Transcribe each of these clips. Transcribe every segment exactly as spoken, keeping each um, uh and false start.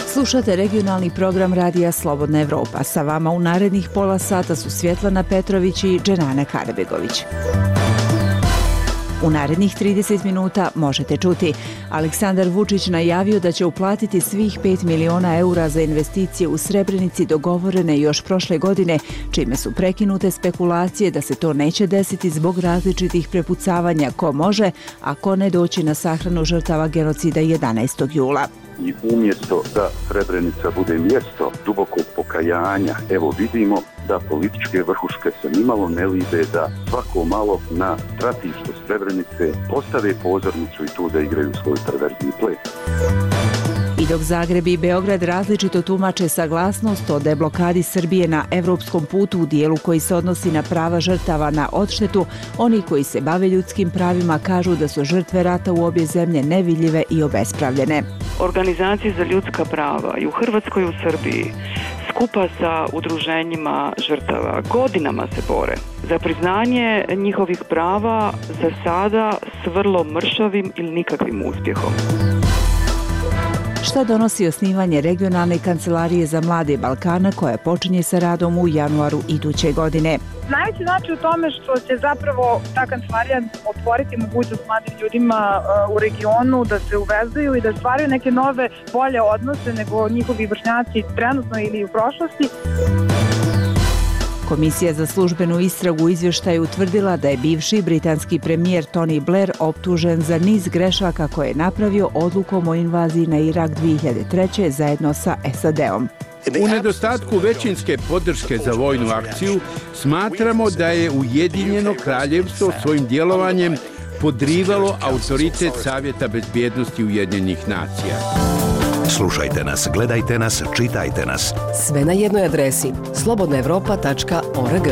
Slušate regionalni program Radija Slobodna Evropa. Sa vama u narednih pola sata su Svjetlana Petrović i Dženana Karabegović. U narednih trideset minuta možete čuti: Aleksandar Vučić najavio da će uplatiti svih pet miliona eura za investicije u Srebrenici dogovorene još prošle godine, čime su prekinute spekulacije da se to neće desiti zbog različitih prepucavanja ko može, a ko ne doći na sahranu žrtava genocida jedanaestog jula. I umjesto da Srebrenica bude mjesto dubokog pokajanja, evo vidimo da političke vrhuške se nimalo ne libe da svako malo na stratištu Srebrenice postave pozornicu i tu da igraju svoj perverzni ples. I dok Zagreb i Beograd različito tumače saglasnost o deblokadi Srbije na evropskom putu u dijelu koji se odnosi na prava žrtava na odštetu, oni koji se bave ljudskim pravima kažu da su žrtve rata u obje zemlje nevidljive i obespravljene. Organizacije za ljudska prava i u Hrvatskoj i u Srbiji skupa sa udruženjima žrtava godinama se bore za priznanje njihovih prava, za sada s vrlo mršavim ili nikakvim uspjehom. Šta donosi osnivanje regionalne kancelarije za mlade Balkana koja počinje sa radom u januaru iduće godine? Najveći znači u tome što će zapravo ta kancelarija otvoriti mogućnost mladim ljudima u regionu da se uvezuju i da stvaraju neke nove, bolje odnose nego njihovi vršnjaci trenutno ili u prošlosti. Komisija za službenu istragu u izvještaju utvrdila da je bivši britanski premijer Tony Blair optužen za niz grešaka koje je napravio odlukom o invaziji na Irak dvije hiljade treće. zajedno sa S A D-om. U nedostatku većinske podrške za vojnu akciju smatramo da je Ujedinjeno kraljevstvo svojim djelovanjem podrivalo autoritet Savjeta bezbjednosti Ujedinjenih nacija. Slušajte nas, gledajte nas, čitajte nas. Sve na jednoj adresi slobodna evropa tačka org.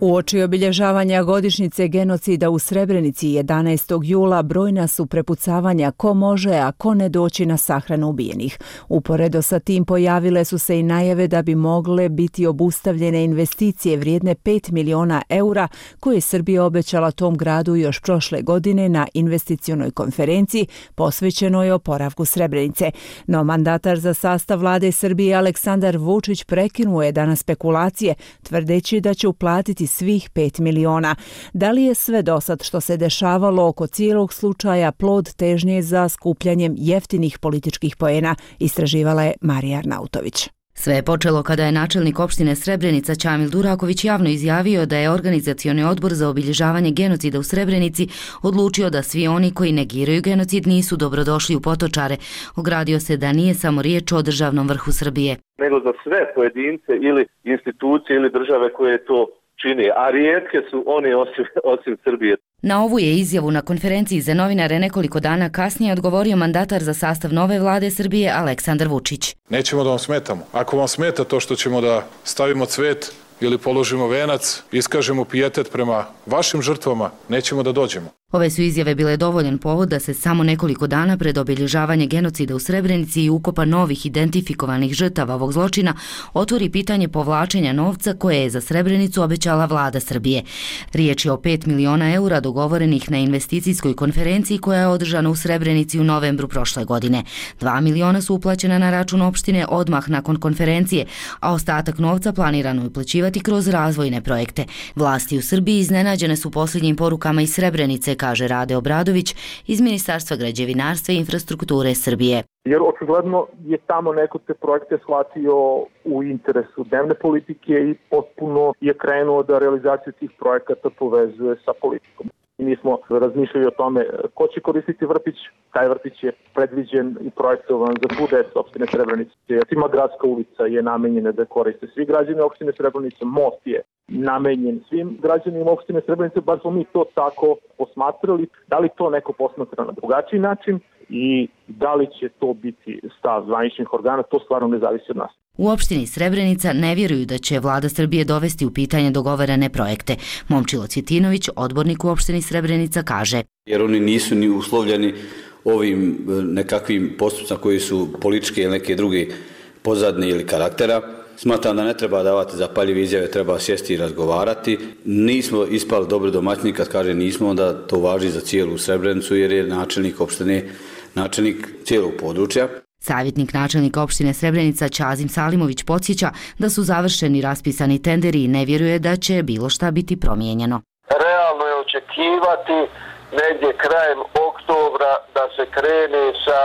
Uoči obilježavanja godišnjice genocida u Srebrenici jedanaestog jula brojna su prepucavanja ko može, a ko ne doći na sahranu ubijenih. Uporedo sa tim pojavile su se i najave da bi mogle biti obustavljene investicije vrijedne pet miliona eura koje je Srbija obećala tom gradu još prošle godine na investicionoj konferenciji posvećenoj oporavku Srebrenice. No mandatar za sastav vlade Srbije Aleksandar Vučić prekinuo je danas spekulacije tvrdeći da će uplatiti svih pet miliona. Da li je sve dosad što se dešavalo oko cijelog slučaja plod težnje za skupljanjem jeftinih političkih poena, istraživala je Marija Arnautović. Sve je počelo kada je načelnik opštine Srebrenica Ćamil Duraković javno izjavio da je organizacioni odbor za obilježavanje genocida u Srebrenici odlučio da svi oni koji negiraju genocid nisu dobrodošli u Potočare. Ogradio se da nije samo riječ o državnom vrhu Srbije, nego za sve pojedince ili institucije ili države koje to čini, a rijetke su oni osim, osim Srbije. Na ovu je izjavu na konferenciji za novinare nekoliko dana kasnije odgovorio mandatar za sastav nove vlade Srbije Aleksandar Vučić. Nećemo da vam smetamo. Ako vam smeta to što ćemo da stavimo cvet ili položimo venac, iskažemo pijetet prema vašim žrtvama, nećemo da dođemo. Ove su izjave bile dovoljan povod da se samo nekoliko dana pred obilježavanje genocida u Srebrenici i ukopa novih identifikovanih žrtava ovog zločina otvori pitanje povlačenja novca koje je za Srebrenicu obećala vlada Srbije. Riječ je o pet miliona eura dogovorenih na investicijskoj konferenciji koja je održana u Srebrenici u novembru prošle godine. Dva miliona su uplaćena na račun opštine odmah nakon konferencije, a ostatak novca planirano je uplaćivati kroz razvojne projekte. Vlasti u Srbiji iznenađene su posljednjim porukama iz Srebrenice, kaže Rade Obradović iz Ministarstva građevinarstva i infrastrukture Srbije. Jer očigledno je tamo neko te projekte shvatio u interesu dnevne politike i potpuno je krenuo da realizaciju tih projekata povezuje sa politikom. Mi smo razmišljali o tome ko će koristiti vrtić. Taj vrtić je predviđen i projektovan za svu decu opštine Srebrenice. Tima gradska ulica je namenjena da koriste svi građani opštine Srebrenice. Most je namenjen svim građanima opštine Srebrenice. Bar smo mi to tako posmatrali. Da li to neko posmatra na drugačiji način i da li će to biti stav zvaničnih organa, to stvarno ne zavisi od nas. U opštini Srebrenica ne vjeruju da će vlada Srbije dovesti u pitanje dogovorene projekte. Momčilo Cvjetinović, odbornik u opštini Srebrenica, kaže: Jer oni nisu ni uslovljeni ovim nekakvim postupcima koji su političke ili neke druge pozadne ili karaktera. Smatram da ne treba davati zapaljive izjave, treba sjesti i razgovarati. Nismo ispali dobri domaćini, kad kaže nismo, onda to važi za cijelu Srebrenicu jer je načelnik opštine, načelnik cijelog područja. Savjetnik načelnika opštine Srebrenica Ćazim Salimović podsjeća da su završeni raspisani tenderi i ne vjeruje da će bilo šta biti promijenjeno. Realno je očekivati negdje krajem oktobra da se krene sa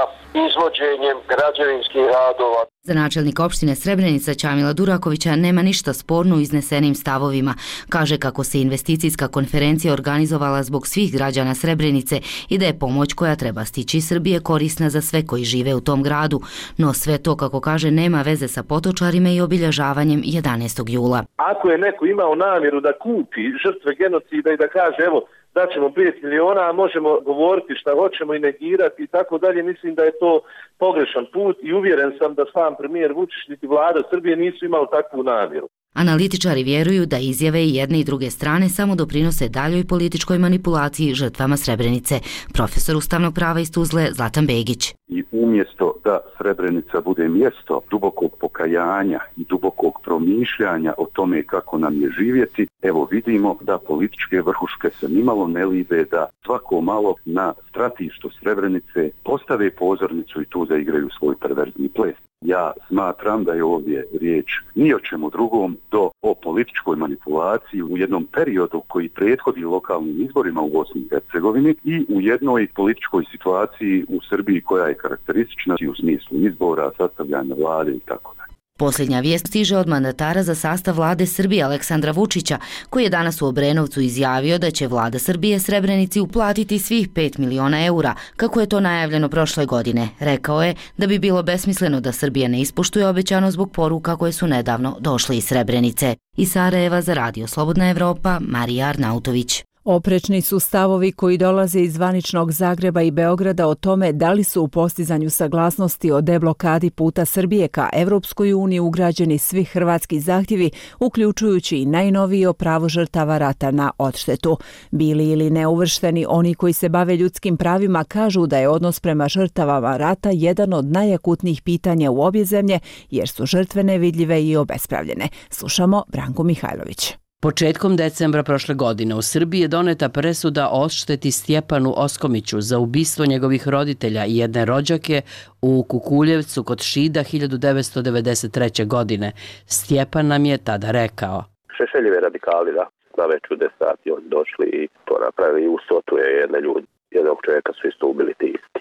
izvođenjem građevinskih radova. Za načelnika opštine Srebrenica Ćamila Durakovića nema ništa sporno u iznesenim stavovima. Kaže kako se investicijska konferencija organizovala zbog svih građana Srebrenice i da je pomoć koja treba stići iz Srbije korisna za sve koji žive u tom gradu. No sve to, kako kaže, nema veze sa potočarima i obilježavanjem jedanaestog jula. Ako je neko imao namjeru da kupi žrtve genocida i da kaže evo daćemo pet miliona, a možemo govoriti šta hoćemo i negirati i tako dalje, mislim da je to pogrešan put i uvjeren sam da sam premijer Vučić niti vlada Srbije nisu imali takvu namjeru. Analitičari vjeruju da izjave i jedne i druge strane samo doprinose daljoj političkoj manipulaciji žrtvama Srebrenice. Profesor ustavnog prava iz Tuzle Zlatan Begić. I umjesto da Srebrenica bude mjesto dubokog pokajanja i dubokog promišljanja o tome kako nam je živjeti, evo vidimo da političke vrhuške se nimalo ne libe da svako malo na stratištu Srebrenice postave pozornicu i tu zaigraju svoj perverzni ples. Ja smatram da je ovdje riječ ni o čemu drugom do o političkoj manipulaciji u jednom periodu koji prethodi lokalnim izborima u Bosni i Hercegovini i u jednoj političkoj situaciji u Srbiji koja je karakteristična u smislu izbora, sastavljanja vlade i tako dalje. Posljednja vijest stiže od mandatara za sastav vlade Srbije Aleksandra Vučića, koji je danas u Obrenovcu izjavio da će vlada Srbije Srebrenici uplatiti svih pet miliona eura, kako je to najavljeno prošle godine. Rekao je da bi bilo besmisleno da Srbija ne ispoštuje obećano zbog poruka koje su nedavno došle iz Srebrenice. Iz Sarajeva za Radio Slobodna Evropa, Marija Arnautović. Oprečni su stavovi koji dolaze iz zvaničnog Zagreba i Beograda o tome da li su u postizanju saglasnosti o deblokadi puta Srbije ka Evropskoj uniji ugrađeni svi hrvatski zahtjevi, uključujući i najnoviji o pravo žrtava rata na odštetu. Bili ili neuvršteni, oni koji se bave ljudskim pravima kažu da je odnos prema žrtavama rata jedan od najakutnijih pitanja u obje zemlje, jer su žrtve nevidljive i obespravljene. Slušamo Branku Mihajlović. Početkom decembra prošle godine u Srbiji je doneta presuda o odšteti Stjepanu Oskomiću za ubistvo njegovih roditelja i jedne rođake u Kukuljevcu kod Šida hiljadu devetsto devedeset treće. godine. Stjepan nam je tada rekao. Šešeljevi radikali, da, na već u deset sati oni došli i to napravili i ustotu je jedne ljudi. Jednog čovjeka su isto ubili ti isti.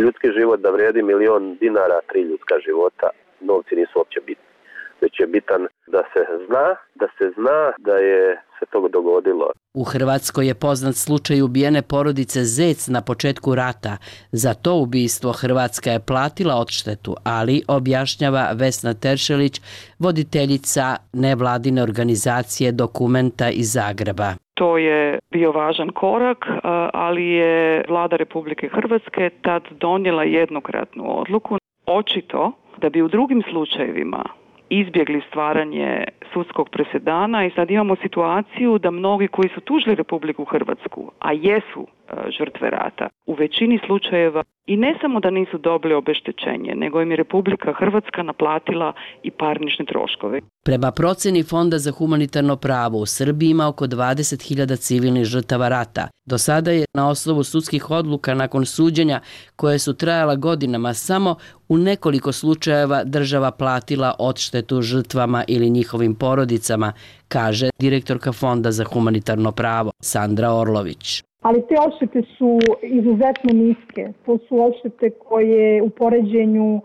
Ljudski život da vrijedi milion dinara, tri ljudska života, novci nisu uopće bitni. Već je bitan da se zna, da se zna da je se to dogodilo. U Hrvatskoj je poznat slučaj ubijene porodice Zec na početku rata. Za to ubistvo Hrvatska je platila odštetu, ali objašnjava Vesna Teršelić, voditeljica nevladine organizacije Dokumenta iz Zagreba. To je bio važan korak, ali je vlada Republike Hrvatske tad donijela jednokratnu odluku. Očito da bi u drugim slučajevima izbjegli stvaranje sudskog presedana i sad imamo situaciju da mnogi koji su tužili Republiku Hrvatsku, a jesu žrtve rata, u većini slučajeva i ne samo da nisu dobili obeštećenje, nego im je Republika Hrvatska naplatila i parnične troškove. Prema proceni Fonda za humanitarno pravo u Srbiji ima oko dvadeset hiljada civilnih žrtava rata. Do sada je na osnovu sudskih odluka nakon suđenja koje su trajala godinama samo u nekoliko slučajeva država platila odštetu žrtvama ili njihovim porodicama, kaže direktorka Fonda za humanitarno pravo Sandra Orlović. Ali te odštete su izuzetno niske. To su odštete koje u poređenju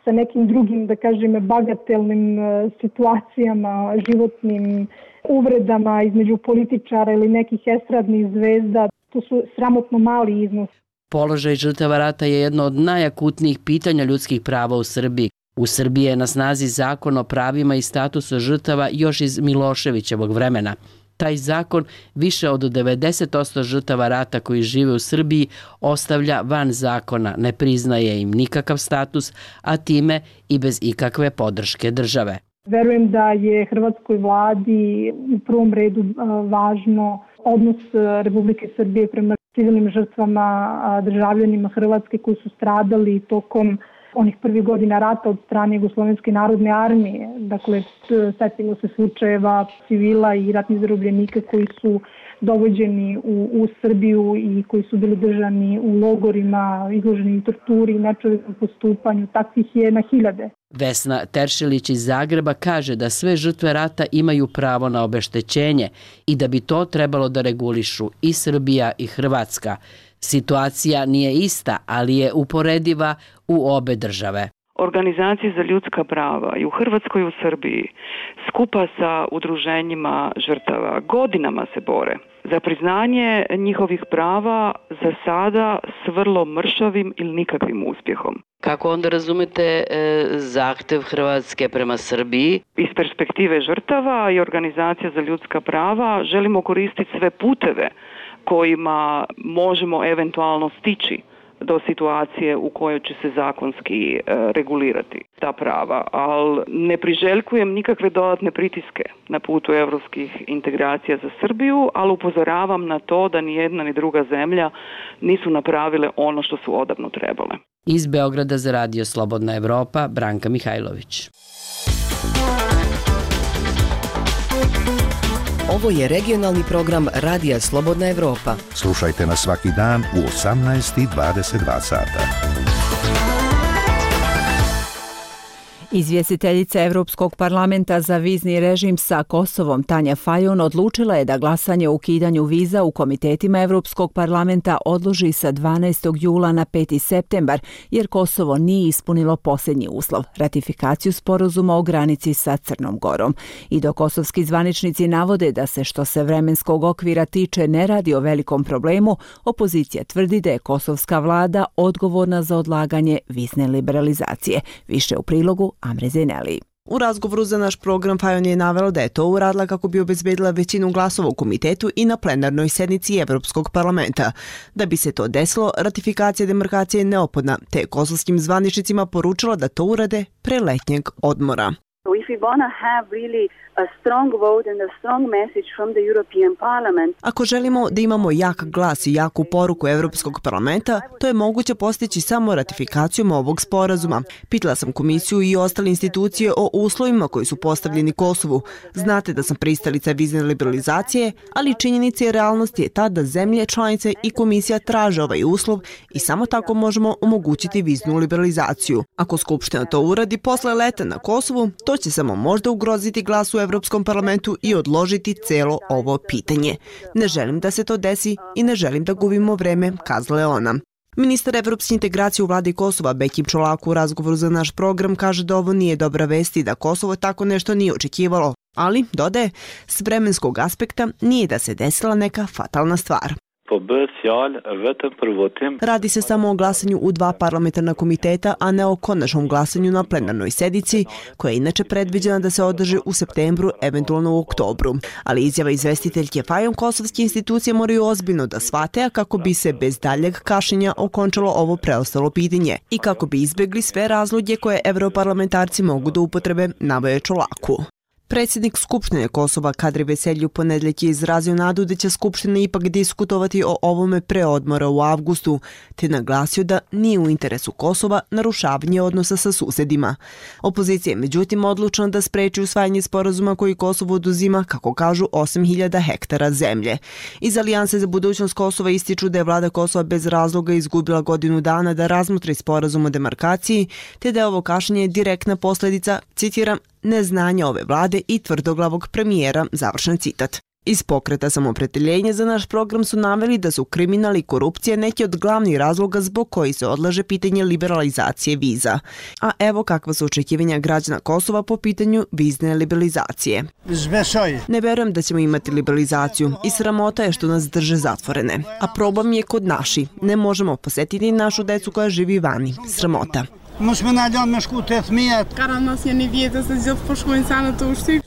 sa nekim drugim, da kažem, bagatelnim situacijama, životnim uvredama između političara ili nekih estradnih zvezda, to su sramotno mali iznos. Položaj žrtava rata je jedno od najakutnijih pitanja ljudskih prava u Srbiji. U Srbiji je na snazi zakon o pravima i statusu žrtava još iz Miloševićevog vremena. Taj zakon više od devedeset posto žrtava rata koji žive u Srbiji ostavlja van zakona, ne priznaje im nikakav status, a time i bez ikakve podrške države. Verujem da je hrvatskoj vladi u prvom redu važno odnos Republike Srbije prema civilnim žrtvama, državljanima Hrvatske koji su stradali tokom onih prvih godina rata od strane Jugoslovenske narodne armije. Dakle, setimo se slučajeva civila i ratnih zarobljenika koji su dovođeni u, u Srbiju i koji su bili držani u logorima, izloženi torturi i nečovjekom postupanju. Takvih je na hiljade. Vesna Teršelić iz Zagreba kaže da sve žrtve rata imaju pravo na obeštećenje i da bi to trebalo da regulišu i Srbija i Hrvatska. Situacija nije ista, ali je uporediva u obe države. Organizacije za ljudska prava i u Hrvatskoj i u Srbiji skupa sa udruženjima žrtava godinama se bore za priznanje njihovih prava, za sada s vrlo mršavim ili nikakvim uspjehom. Kako onda razumete e, zahtev Hrvatske prema Srbiji? Iz perspektive žrtava i organizacija za ljudska prava želimo koristiti sve puteve kojima možemo eventualno stići do situacije u kojoj će se zakonski e, regulirati ta prava, ali ne priželjkujem nikakve dodatne pritiske na putu evropskih integracija za Srbiju, ali upozoravam na to da ni jedna ni druga zemlja nisu napravile ono što su odavno trebale. Iz Beograda za Radio Slobodna Evropa, Branka Mihajlović. Ovo je regionalni program Radija Slobodna Evropa. Slušajte nas svaki dan u osamnaest i dvadeset dva sata. Izvjestiteljica Evropskog parlamenta za vizni režim sa Kosovom Tanja Fajon odlučila je da glasanje o ukidanju viza u komitetima Evropskog parlamenta odloži sa dvanaestog jula na peti septembar, jer Kosovo nije ispunilo posljednji uslov, ratifikaciju sporazuma o granici sa Crnom Gorom. I dok kosovski zvaničnici navode da se što se vremenskog okvira tiče ne radi o velikom problemu, opozicija tvrdi da je kosovska vlada odgovorna za odlaganje vizne liberalizacije. Više u prilogu Amre Zeneli. U razgovoru za naš program Fajon je navela da je to uradila kako bi obezbedila većinu glasova u komitetu i na plenarnoj sednici Evropskog parlamenta. Da bi se to desilo, ratifikacija demarkacije je neophodna, te je kosovskim zvaničnicima poručila da to urade pre letnjeg odmora. So if we want to have really a strong vote and a strong message from the European Parliament. Ako želimo da imamo jak glas i jaku poruku Evropskog parlamenta, to je moguće postići samo ratifikacijom ovog sporazuma. Pitala sam komisiju i ostale institucije o uslovima koji su postavljeni Kosovu. Znate da sam pristalica vizne liberalizacije, ali činjenica i realnost je ta da zemlje, članice i komisija traže ovaj uslov i samo tako možemo omogućiti viznu liberalizaciju. Ako Skupština to uradi posle leta na Kosovu, to će samo možda ugroziti glas u Evropskom parlamentu i odložiti celo ovo pitanje. Ne želim da se to desi i ne želim da gubimo vreme, kazala je ona. Ministar evropske integracije u vladi Kosova Bekim Čolaku u razgovoru za naš program kaže da ovo nije dobra vest i da Kosovo tako nešto nije očekivalo, ali, dodaje, s vremenskog aspekta nije da se desila neka fatalna stvar. Radi se samo o glasanju u dva parlamentarna komiteta, a ne o konačnom glasanju na plenarnoj sednici, koja je inače predviđena da se održi u septembru, eventualno u oktobru. Ali izjava izvestiteljke Fajon kosovske institucije moraju ozbiljno da shvate, a kako bi se bez daljeg kašnjenja okončalo ovo preostalo pitanje i kako bi izbjegli sve razloge koje evroparlamentarci mogu da upotrebe, naveo Čolaku. Predsjednik Skupštine Kosova Kadri Veselji u ponedjeljak je izrazio nadu da će Skupština ipak diskutovati o ovome pre odmora u avgustu, te naglasio da nije u interesu Kosova narušavanje odnosa sa susedima. Opozicija je međutim odlučna da spreči usvajanje sporazuma koji Kosovo oduzima, kako kažu, osam hiljada hektara zemlje. Iz Alijanse za budućnost Kosova ističu da je vlada Kosova bez razloga izgubila godinu dana da razmotri sporazum o demarkaciji, te da je ovo kašnjenje direktna posljedica, citiram, neznanja ove vlade i tvrdoglavog premijera, završen citat. Iz pokreta Samoopredjeljenje za naš program su naveli da su kriminal i korupcija neki od glavnih razloga zbog koji se odlaže pitanje liberalizacije viza. A evo kakva su očekivanja građana Kosova po pitanju vizne liberalizacije. Ne verujem da ćemo imati liberalizaciju i sramota je što nas drže zatvorene. A problem je kod naši. Ne možemo posjetiti našu decu koja živi vani. Sramota.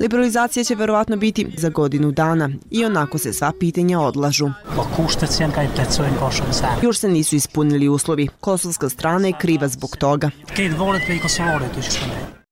Liberalizacija će verovatno biti za godinu dana i onako se sva pitanja odlažu. Još se nisu ispunili uslovi. Kosovska strana je kriva zbog toga.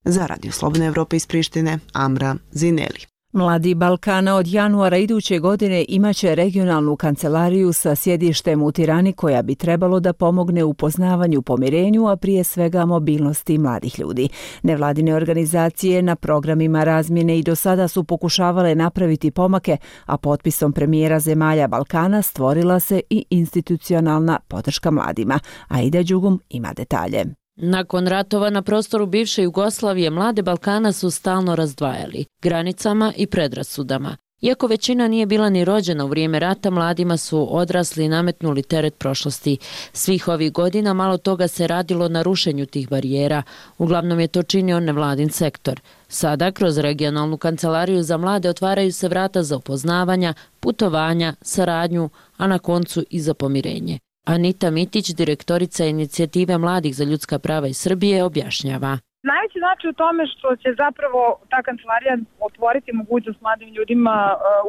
Za Radio Slobodne Evrope iz Prištine, Amra Zineli. Mladi Balkana od januara iduće godine imaće regionalnu kancelariju sa sjedištem u Tirani koja bi trebalo da pomogne u poznavanju, pomirenju, a prije svega mobilnosti mladih ljudi. Nevladine organizacije na programima razmjene i do sada su pokušavale napraviti pomake, a potpisom premijera zemalja Balkana stvorila se i institucionalna podrška mladima. Aida Đugum ima detalje. Nakon ratova na prostoru bivše Jugoslavije mlade Balkana su stalno razdvajali granicama i predrasudama. Iako većina nije bila ni rođena u vrijeme rata, mladima su odrasli i nametnuli teret prošlosti. Svih ovih godina malo toga se radilo na rušenju tih barijera. Uglavnom je to činio nevladin sektor. Sada, kroz regionalnu kancelariju za mlade, otvaraju se vrata za upoznavanja, putovanja, saradnju, a na koncu i za pomirenje. Anita Mitić, direktorica inicijative Mladih za ljudska prava iz Srbije, objašnjava. Najveći znači u tome što će zapravo ta kancelarija otvoriti mogućnost mladim ljudima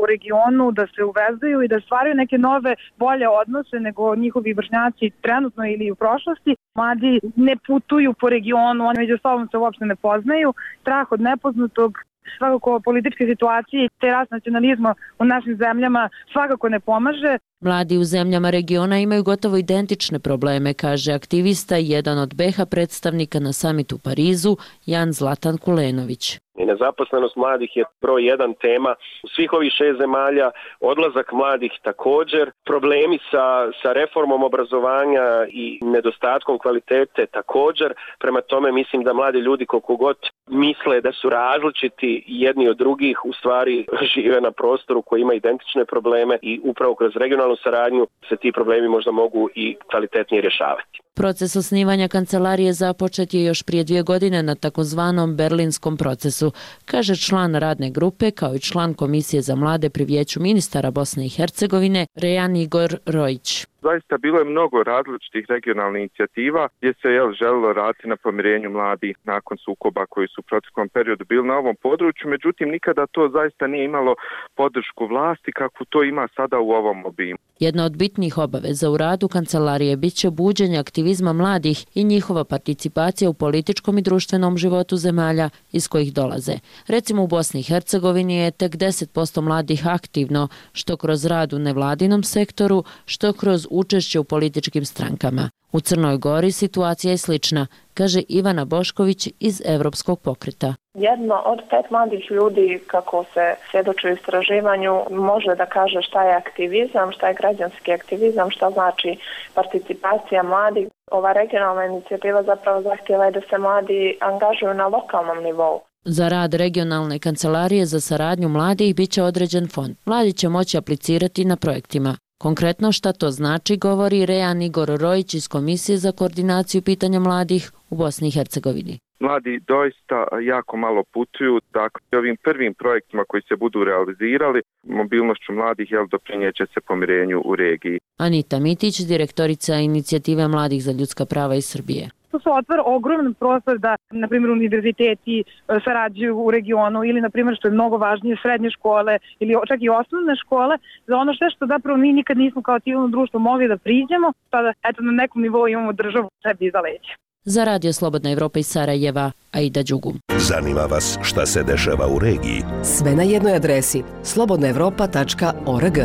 u regionu da se uvezuju i da stvaraju neke nove, bolje odnose nego njihovi vršnjaci trenutno ili u prošlosti. Mladi ne putuju po regionu, oni među sobom se uopšte ne poznaju. Strah od nepoznatog, svakako političke situacije i te rast nacionalizma u našim zemljama svakako ne pomaže. Mladi u zemljama regiona imaju gotovo identične probleme, kaže aktivista i jedan od B iH predstavnika na samitu u Parizu, Jan Zlatan Kulenović. I nezaposlenost mladih je broj jedan tema u svih ovih šest zemalja, odlazak mladih također, problemi sa, sa reformom obrazovanja i nedostatkom kvalitete također. Prema tome mislim da mladi ljudi koliko god misle da su različiti jedni od drugih, u stvari žive na prostoru koji ima identične probleme i upravo kroz regionalnu saradnju se ti problemi možda mogu i kvalitetnije rješavati. Proces osnivanja kancelarije započet je još prije dvije godine na takozvanom berlinskom procesu, kaže član radne grupe kao i član Komisije za mlade pri Vijeću ministara Bosne i Hercegovine Rejan Igor Rojić. Zaista bilo je mnogo različitih regionalnih inicijativa gdje se je želilo raditi na pomirenju mladih nakon sukoba koji su u proteklom periodu bili na ovom području, međutim nikada to zaista nije imalo podršku vlasti kakvu to ima sada u ovom obimu. Jedna od bitnih obaveza u radu kancelarije bit će buđenje aktivizma mladih i njihova participacija u političkom i društvenom životu zemalja iz kojih dolaze. Recimo u Bosni i Hercegovini je tek deset posto mladih aktivno, što kroz rad u nevladinom sektoru, što kroz učešće u političkim strankama. U Crnoj Gori situacija je slična, kaže Ivana Bošković iz Evropskog pokreta. Jedno od pet mladih ljudi, kako se svjedoči u istraživanju, može da kaže šta je aktivizam, šta je građanski aktivizam, šta znači participacija mladih. Ova regionalna inicijativa zapravo zahtjeva da se mladi angažuju na lokalnom nivou. Za rad regionalne kancelarije za saradnju mladih bit će određen fond. Mladi će moći aplicirati na projektima. Konkretno šta to znači, govori Rejan Igor Rojić iz Komisije za koordinaciju pitanja mladih u Bosni i Hercegovini. Mladi doista jako malo putuju, dakle ovim prvim projektima koji se budu realizirali, mobilnošću mladih jel, doprinjeće se pomirenju u regiji. Anita Mitić, direktorica inicijative Mladih za ljudska prava iz Srbije. To se otvara ogroman prostor da, na primjer, univerziteti sarađuju u regionu ili, na primjer, što je mnogo važnije, srednje škole ili čak i osnovne škole, za ono sve što zapravo mi nikad nismo kao civilno društvo mogli da priđemo, tada eto, na nekom nivou imamo državu sebi iza leđa. Za Radio Slobodna Evropa iz Sarajeva, Aida Đugum. Zanima vas šta se dešava u regiji? Sve na jednoj adresi slobodna evropa tačka org.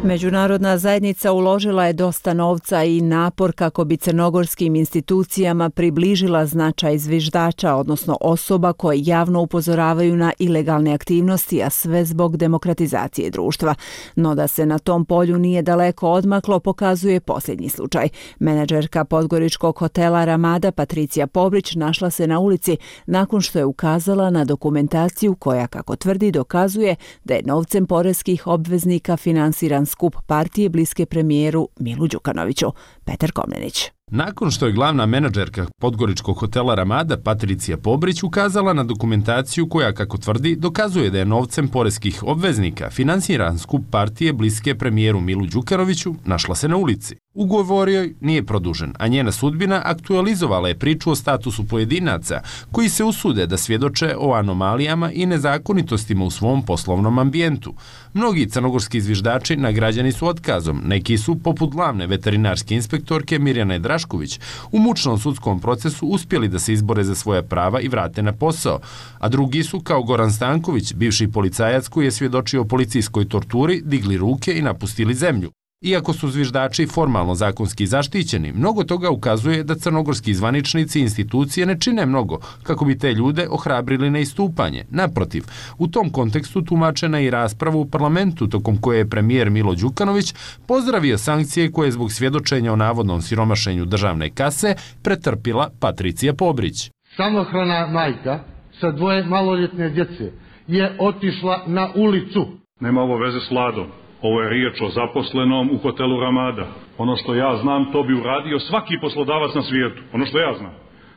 Međunarodna zajednica uložila je dosta novca i napor kako bi crnogorskim institucijama približila značaj zviždača, odnosno osoba koje javno upozoravaju na ilegalne aktivnosti, a sve zbog demokratizacije društva. No da se na tom polju nije daleko odmaklo, pokazuje posljednji slučaj. Menadžerka podgoričkog hotela Ramada Patricija Pobrić našla se na ulici nakon što je ukazala na dokumentaciju koja, kako tvrdi, dokazuje da je novcem poreskih obveznika finansiran skup partije bliske premijeru Milu Đukanoviću. Petar Komnenić. Nakon što je glavna menadžerka podgoričkog hotela Ramada Patricija Pobrić ukazala na dokumentaciju koja, kako tvrdi, dokazuje da je novcem poreskih obveznika finansiran skup partije bliske premijeru Milu Đukanoviću, našla se na ulici. Ugovor joj nije produžen, a njena sudbina aktualizovala je priču o statusu pojedinaca koji se usude da svjedoče o anomalijama i nezakonitostima u svom poslovnom ambijentu. Mnogi crnogorski zviždači nagrađeni su otkazom, neki su, poput glavne veterinarske inspektorke Mirjane Drašković, u mučnom sudskom procesu uspjeli da se izbore za svoja prava i vrate na posao, a drugi su, kao Goran Stanković, bivši policajac koji je svjedočio o policijskoj torturi, digli ruke i napustili zemlju. Iako su zviždači formalno zakonski zaštićeni, mnogo toga ukazuje da crnogorski zvaničnici i institucije ne čine mnogo kako bi te ljude ohrabrili na istupanje. Naprotiv, u tom kontekstu tumačena i rasprava u parlamentu tokom koje je premijer Milo Đukanović pozdravio sankcije koje je zbog svjedočenja o navodnom siromašenju državne kase pretrpila Patricija Pobrić. Samohrana majka sa dvoje maloljetne djece je otišla na ulicu. Nema ovo veze s Vladom. Ovo je riječ o zaposlenom u hotelu Ramada. Ono što ja znam, to bi uradio svaki poslodavac na svijetu. Ono što ja znam.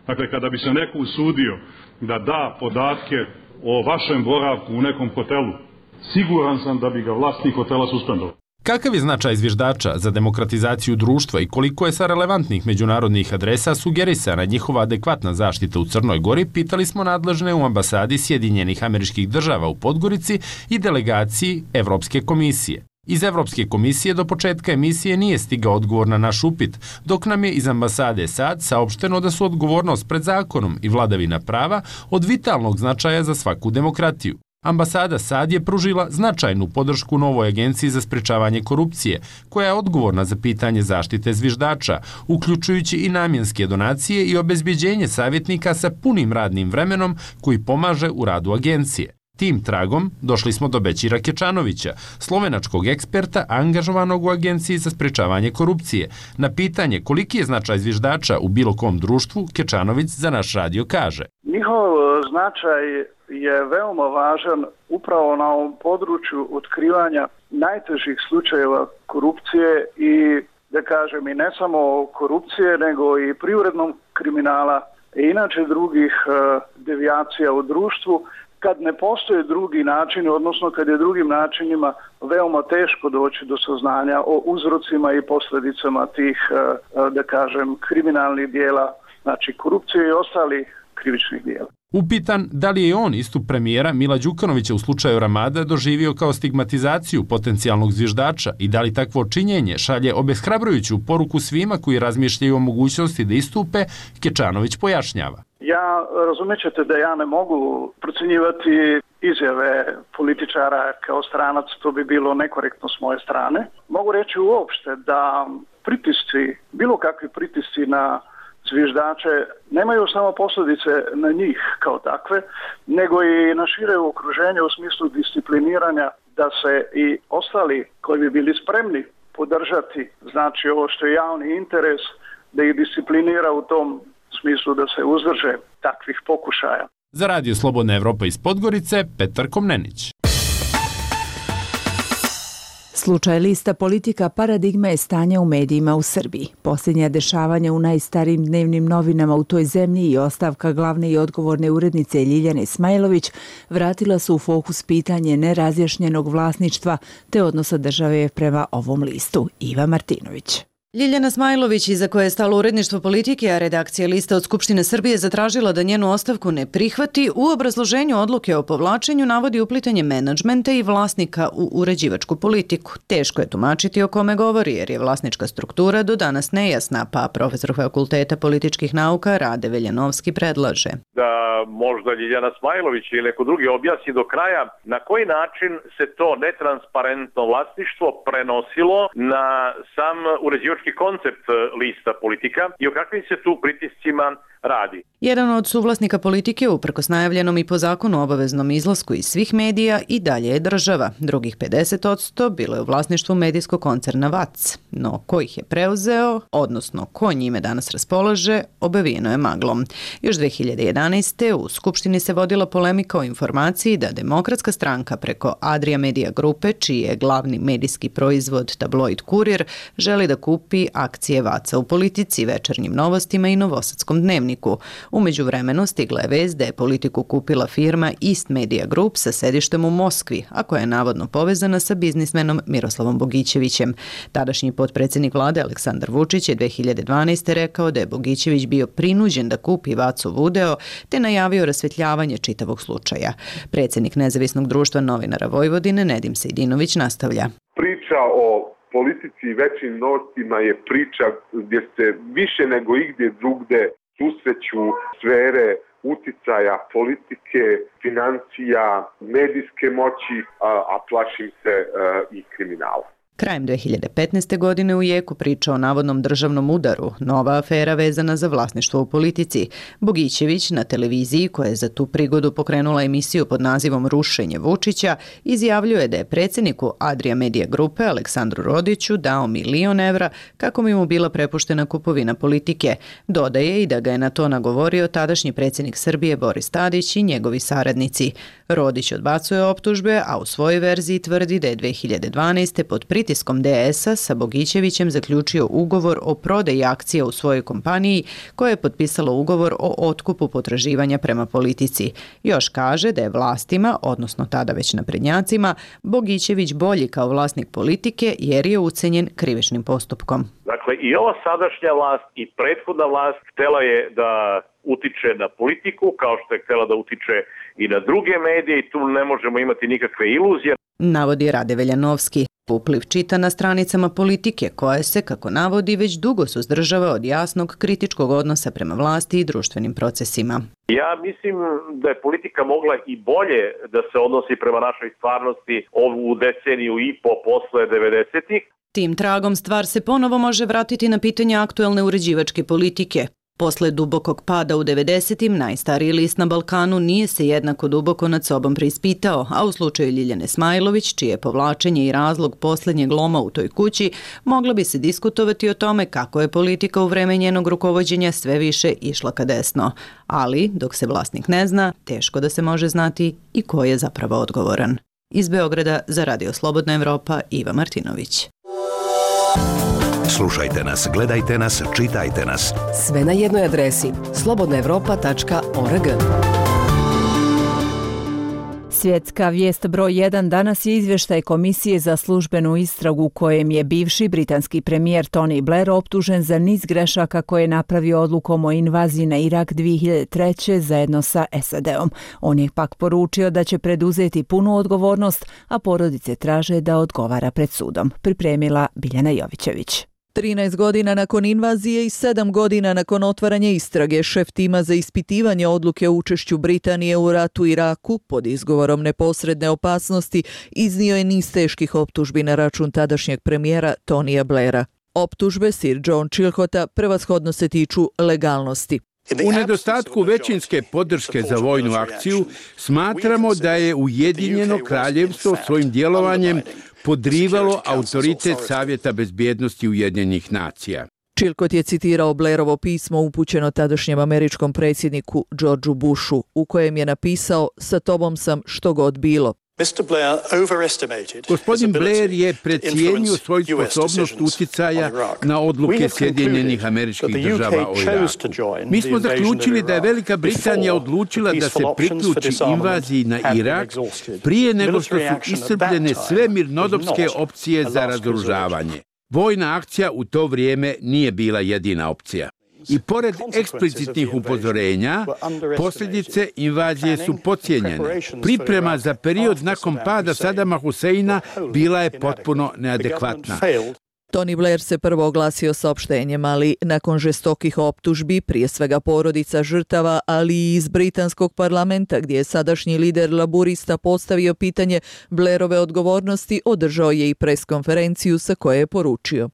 Dakle, kada bi se neko usudio da da podatke o vašem boravku u nekom hotelu, siguran sam da bi ga vlasnik hotela suspendovao. Kakav je značaj zviždača za demokratizaciju društva i koliko je sa relevantnih međunarodnih adresa sugerisana njihova adekvatna zaštita u Crnoj Gori, pitali smo nadležne u ambasadi Sjedinjenih Američkih Država u Podgorici i delegaciji Evropske komisije. Iz Evropske komisije do početka emisije nije stigao odgovor na naš upit, dok nam je iz ambasade SAD saopšteno da su odgovornost pred zakonom i vladavina prava od vitalnog značaja za svaku demokratiju. Ambasada SAD je pružila značajnu podršku novoj agenciji za sprečavanje korupcije, koja je odgovorna za pitanje zaštite zviždača, uključujući i namjenske donacije i obezbjeđenje savjetnika sa punim radnim vremenom koji pomaže u radu agencije. Tim tragom došli smo do Bećira Kečanovića, slovenačkog eksperta angažovanog u Agenciji za sprečavanje korupcije. Na pitanje koliki je značaj zviždača u bilo kom društvu, Kečanović za naš radio kaže. Njihov značaj je veoma važan upravo na ovom području otkrivanja najtežih slučajeva korupcije i, da kažem, i ne samo korupcije, nego i privrednog kriminala i inače drugih devijacija u društvu, kad ne postoje drugi načini, odnosno kad je drugim načinima veoma teško doći do saznanja o uzrocima i posljedicama tih, da kažem, kriminalnih dijela, znači korupcije i ostalih krivičnih dijela. Upitan da li je on istup premijera Mila Đukanovića u slučaju Ramada doživio kao stigmatizaciju potencijalnog zviždača i da li takvo činjenje šalje obeshrabrujuću poruku svima koji razmišljaju o mogućnosti da istupe, Kečanović pojašnjava. Ja razumjet ćete da ja ne mogu procjenjivati izjave političara kao stranac, to bi bilo nekorektno s moje strane. Mogu reći uopšte da pritisci, bilo kakvi pritisci na zviždače nemaju samo posljedice na njih kao takve, nego i na šire okruženje u smislu discipliniranja da se i ostali koji bi bili spremni podržati, znači ovo što je javni interes, da ih disciplinira u tom smislu da se uzdrže takvih pokušaja. Za Radio Slobodna Evropa iz Podgorice, Petar Komnenić. Slučaj lista politika paradigma je stanja u medijima u Srbiji. Posljednja dešavanja u najstarijim dnevnim novinama u toj zemlji i ostavka glavne i odgovorne urednice Ljiljane Smajlović vratila su u fokus pitanje nerazjašnjenog vlasništva te odnosa države prema ovom listu. Iva Martinović. Ljiljana Smajlović, iza koje je stalo uredništvo politike, a redakcija lista od Skupštine Srbije zatražila da njenu ostavku ne prihvati, u obrazloženju odluke o povlačenju navodi uplitanje menadžmenta i vlasnika u uređivačku politiku. Teško je tumačiti o kome govori, jer je vlasnička struktura do danas nejasna, pa profesor Fakulteta političkih nauka Rade Veljanovski predlaže. Da možda Ljiljana Smajlović ili neko drugi objasni do kraja na koji način se to netransparentno vlasništvo prenosilo na sam uređivački koncept lista politika i o kakvim se tu pritiscima radi. Jedan od suvlasnika politike, uprkos najavljenom i po zakonu obaveznom izlasku iz svih medija, i dalje je država. Drugih pedeset posto bilo je u vlasništvu medijskog koncerna V A C. No, ko ih je preuzeo, odnosno ko njime danas raspolaže, obavijeno je maglom. Još dve hiljade jedanaeste. u Skupštini se vodila polemika o informaciji da Demokratska stranka preko Adria Media grupe, čiji je glavni medijski proizvod tabloid Kurir, želi da kupi akcije V A C-a u Politici, Večernjim novostima i Novosadskom dnevniku. predsjedniku. U međuvremenu stigla je vest da je politiku kupila firma East Media Group sa sedištem u Moskvi, a koja je navodno povezana sa biznismenom Miroslavom Bogićevićem. Tadašnji potpredsjednik vlade Aleksandar Vučić je dve hiljade dvanaeste. rekao da je Bogićević bio prinuđen da kupi Vacov udeo, te najavio rasvetljavanje čitavog slučaja. Predsjednik Nezavisnog društva novinara Vojvodine Nedim Sejdinović nastavlja. Priča o politici i većim novcima je priča gdje se više nego igdje drugde susreću sfere uticaja, politike, financija, medijske moći, a, a plašim se a, i kriminala. Krajem dve hiljade petnaeste. godine u jeku priča o navodnom državnom udaru, nova afera vezana za vlasništvo u politici. Bogićević na televiziji, koja je za tu prigodu pokrenula emisiju pod nazivom Rušenje Vučića, izjavljuje da je predsjedniku Adria Media Grupe Aleksandru Rodiću dao milion evra kako bi mu bila prepuštena kupovina politike. Dodaje i da ga je na to nagovorio tadašnji predsjednik Srbije Boris Tadić i njegovi saradnici. Rodić odbacuje optužbe, a u svojoj verziji tvrdi da je dve hiljade dvanaeste. pod pritiskom D S-a sa Bogićevićem zaključio ugovor o prodaji akcija u svojoj kompaniji, koja je potpisala ugovor o otkupu potraživanja prema politici. Još kaže da je vlastima, odnosno tada već naprednjacima, Bogićević bolji kao vlasnik politike jer je ucenjen krivičnim postupkom. Dakle, i ova sadašnja vlast i prethodna vlast htjela je da utiče na politiku, kao što je htjela da utiče i na druge medije i tu ne možemo imati nikakve iluzije. Navodi Rade Veljanovski. Upliv čita na stranicama Politike, koja se, kako navodi, već dugo suzdržava od jasnog kritičkog odnosa prema vlasti i društvenim procesima. Ja mislim da je politika mogla i bolje da se odnosi prema našoj stvarnosti ovu deceniju i po posle devedesetih. Tim tragom stvar se ponovo može vratiti na pitanje aktuelne uređivačke politike. Posle dubokog pada u devedesetim, najstariji list na Balkanu nije se jednako duboko nad sobom preispitao, a u slučaju Ljiljane Smajlović, čije povlačenje i razlog posljednjeg loma u toj kući, moglo bi se diskutovati o tome kako je politika u vreme njenog rukovođenja sve više išla ka desno. Ali, dok se vlasnik ne zna, teško da se može znati i ko je zapravo odgovoran. Iz Beograda za Radio Slobodna Evropa, Iva Martinović. Slušajte nas, gledajte nas, čitajte nas. Sve na jednoj adresi slobodna evropa tačka org. Svjetska vijest broj jedan danas je izvještaj Komisije za službenu istragu u kojem je bivši britanski premijer Tony Blair optužen za niz grešaka koje je napravio odlukom o invaziji na Irak dvije hiljade treće. zajedno sa S A D-om. On je pak poručio da će preduzeti punu odgovornost, a porodice traže da odgovara pred sudom. Pripremila Biljana Jovićević. trinaest godina nakon invazije i sedam godina nakon otvaranja istrage, šef tima za ispitivanje odluke o učešću Britanije u ratu u Iraku pod izgovorom neposredne opasnosti iznio je niz teških optužbi na račun tadašnjeg premijera Tonija Blaira. Optužbe Sir John Chilcota prevashodno se tiču legalnosti. U nedostatku većinske podrške za vojnu akciju smatramo da je Ujedinjeno kraljevstvo svojim djelovanjem podrivalo autoritet Savjeta bezbjednosti Ujedinjenih nacija. Chilcot je citirao Blairovo pismo upućeno tadašnjem američkom predsjedniku Georgeu Bushu, u kojem je napisao: "Sa tobom sam što god bilo." Gospodin Blair je precijenio svoju sposobnost uticaja na odluke Sjedinjenih Američkih Država o Iraku. Mi smo zaključili da je Velika Britanija odlučila da se priključi invaziji na Irak prije nego što su iscrpljene sve mirnodopske opcije za razoružavanje. Vojna akcija u to vrijeme nije bila jedina opcija. I pored eksplicitnih upozorenja, posljedice invazije su podcijenjene. Priprema za period nakon pada Sadama Huseina bila je potpuno neadekvatna. Tony Blair se prvo oglasio saopštenjem, ali nakon žestokih optužbi, prije svega porodica žrtava, ali i iz britanskog parlamenta, gdje je sadašnji lider laburista postavio pitanje Blairove odgovornosti, održao je i preskonferenciju sa koje je poručio: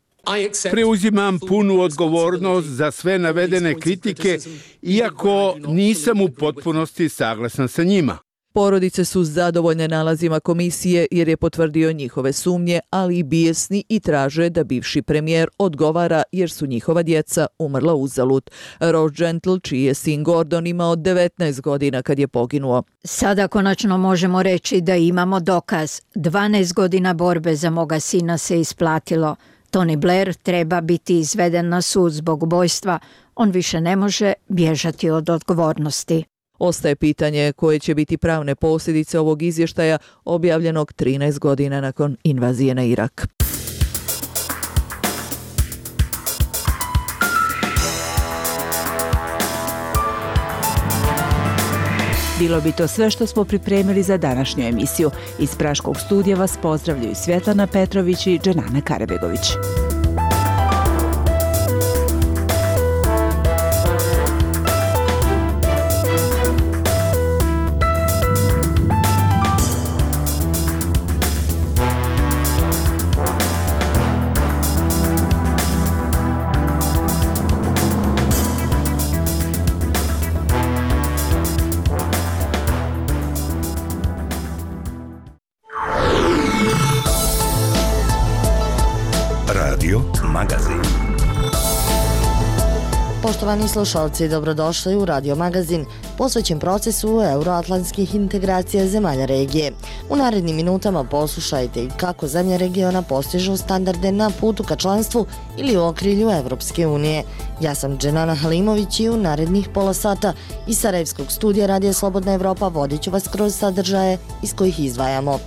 "Preuzimam punu odgovornost za sve navedene kritike, iako nisam u potpunosti saglasan sa njima." Porodice su zadovoljne nalazima komisije jer je potvrdio njihove sumnje, ali i bijesni i traže da bivši premijer odgovara jer su njihova djeca umrla uzalud. Ross Gentle, čiji je sin Gordon imao devetnaest godina kad je poginuo. "Sada konačno možemo reći da imamo dokaz. dvanaest godina borbe za moga sina se isplatilo. Tony Blair treba biti izveden na sud zbog ubojstva. On više ne može bježati od odgovornosti. Ostaje pitanje koje će biti pravne posljedice ovog izvještaja objavljenog trinaest godina nakon invazije na Irak. Bilo bi to sve što smo pripremili za današnju emisiju. Iz Praškog studija vas pozdravljaju Svjetlana Petrović i Dženana Karabegović. Magazin. Poštovani slušalci, dobrodošli u Radio Magazin, posvećen procesu euroatlantskih integracija zemalja regije. U narednim minutama poslušajte kako zemlje regiona postižu standarde na putu ka članstvu ili u okrilju Evropske unije. Ja sam Dženana Halimović i u narednih pola sata iz Sarajevskog studija Radija Slobodna Evropa vodit ću vas kroz sadržaje iz kojih izdvajamo.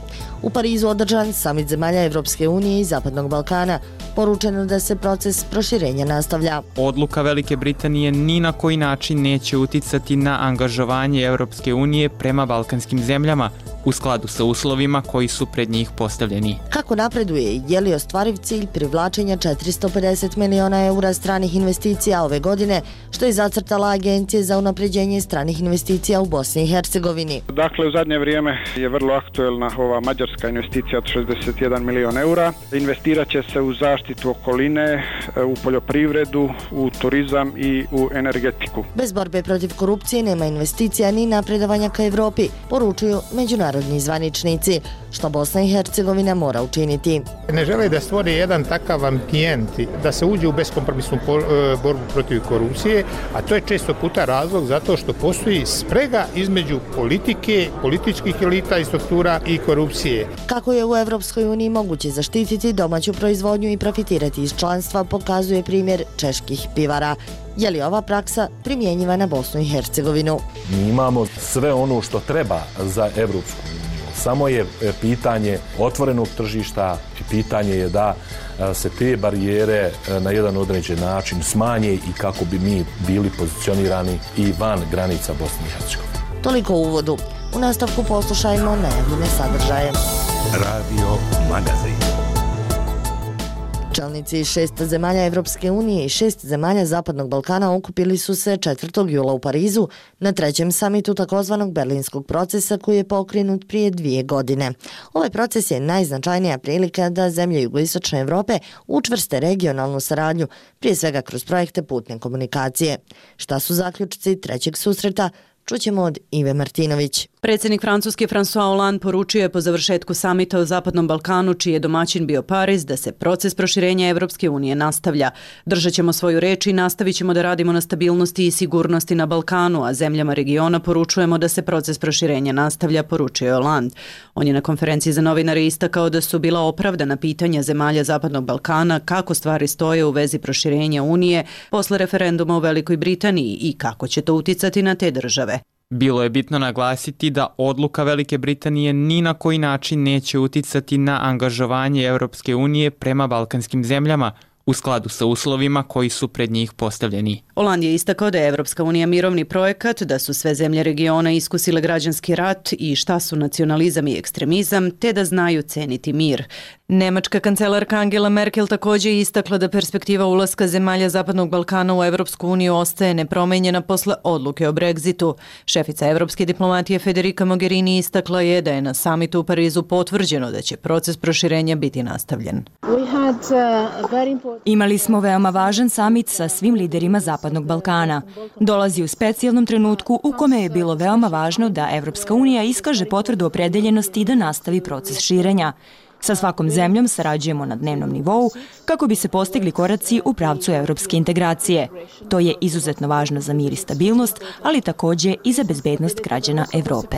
U Parizu održan samit zemalja Evropske unije i Zapadnog Balkana. Poručeno da se proces proširenja nastavlja. Odluka Velike Britanije ni na koji način neće uticati na angažovanje Evropske unije prema balkanskim zemljama u skladu sa uslovima koji su pred njih postavljeni. Kako napreduje, je li ostvariv cilj privlačenja četiristo pedeset miliona eura stranih investicija ove godine, što je zacrtala Agencija za unapređenje stranih investicija u Bosni i Hercegovini? Dakle, u zadnje vrijeme je vrlo aktuelna ova mađarska investicija od šezdeset jedan milion eura. Investirat će se u zaštitu okoline, u poljoprivredu, u turizam i u energetiku. Bez borbe protiv korupcije nema investicija ni napredovanja ka Evropi, poručuju međunarodni zvaničnici, što Bosna i Hercegovina mora učiniti. Ne žele da stvori jedan takav ambijent, da se uđe u beskompromisnu borbu protiv korupcije, a to je često puta razlog zato što postoji sprega između politike, političkih elita i struktura i korupcije. Kako je u Evropskoj uniji moguće zaštititi domaću proizvodnju i profitirati iz članstva, pokazuje primjer čeških pivara. Je li ova praksa primjenjiva na Bosnu i Hercegovinu? Mi imamo sve ono što treba za Evropsku uniju. Samo je pitanje otvorenog tržišta i pitanje je da se te barijere na jedan određen način smanje i kako bi mi bili pozicionirani i van granica Bosne i Hercegovine. Toliko u uvodu. U nastavku poslušajmo najavljene sadržaje. Radio Magazin. Čelnici šest zemalja Evropske unije i šest zemalja Zapadnog Balkana okupili su se četvrtog jula u Parizu na trećem samitu takozvanog berlinskog procesa koji je pokrenut prije dvije godine. Ovaj proces je najznačajnija prilika da zemlje jugoistočne Evrope učvrste regionalnu saradnju, prije svega kroz projekte putne komunikacije. Šta su zaključci trećeg susreta? Čućemo od Ive Martinović. Predsjednik Francuske François Hollande poručio je po završetku samita o Zapadnom Balkanu, čiji je domaćin bio Pariz, da se proces proširenja Evropske unije nastavlja. Držat ćemo svoju reč i nastavit ćemo da radimo na stabilnosti i sigurnosti na Balkanu, a zemljama regiona poručujemo da se proces proširenja nastavlja, poručio je Hollande. On je na konferenciji za novinare istakao da su bila opravdana pitanja zemalja Zapadnog Balkana kako stvari stoje u vezi proširenja Unije posle referenduma u Velikoj Britaniji i kako će to uticati na te države. Bilo je bitno naglasiti da odluka Velike Britanije ni na koji način neće uticati na angažovanje Evropske unije prema balkanskim zemljama u skladu sa uslovima koji su pred njih postavljeni. Hollande je istakao da je Evropska unija mirovni projekat, da su sve zemlje regiona iskusile građanski rat i šta su nacionalizam i ekstremizam, te da znaju ceniti mir. Nemačka kancelarka Angela Merkel također je istakla da perspektiva ulaska zemalja Zapadnog Balkana u Evropsku uniju ostaje nepromenjena posle odluke o Brexitu. Šefica evropske diplomatije Federica Mogherini istakla je da je na samitu u Parizu potvrđeno da će proces proširenja biti nastavljen. Imali smo veoma važan samit sa svim liderima Zapadnog Balkana. Dolazi u specijalnom trenutku u kome je bilo veoma važno da Evropska unija iskaže potvrdu opredeljenosti da nastavi proces širenja. Sa svakom zemljom sarađujemo na dnevnom nivou kako bi se postigli koraci u pravcu evropske integracije. To je izuzetno važno za mir i stabilnost, ali također i za bezbednost građana Evrope.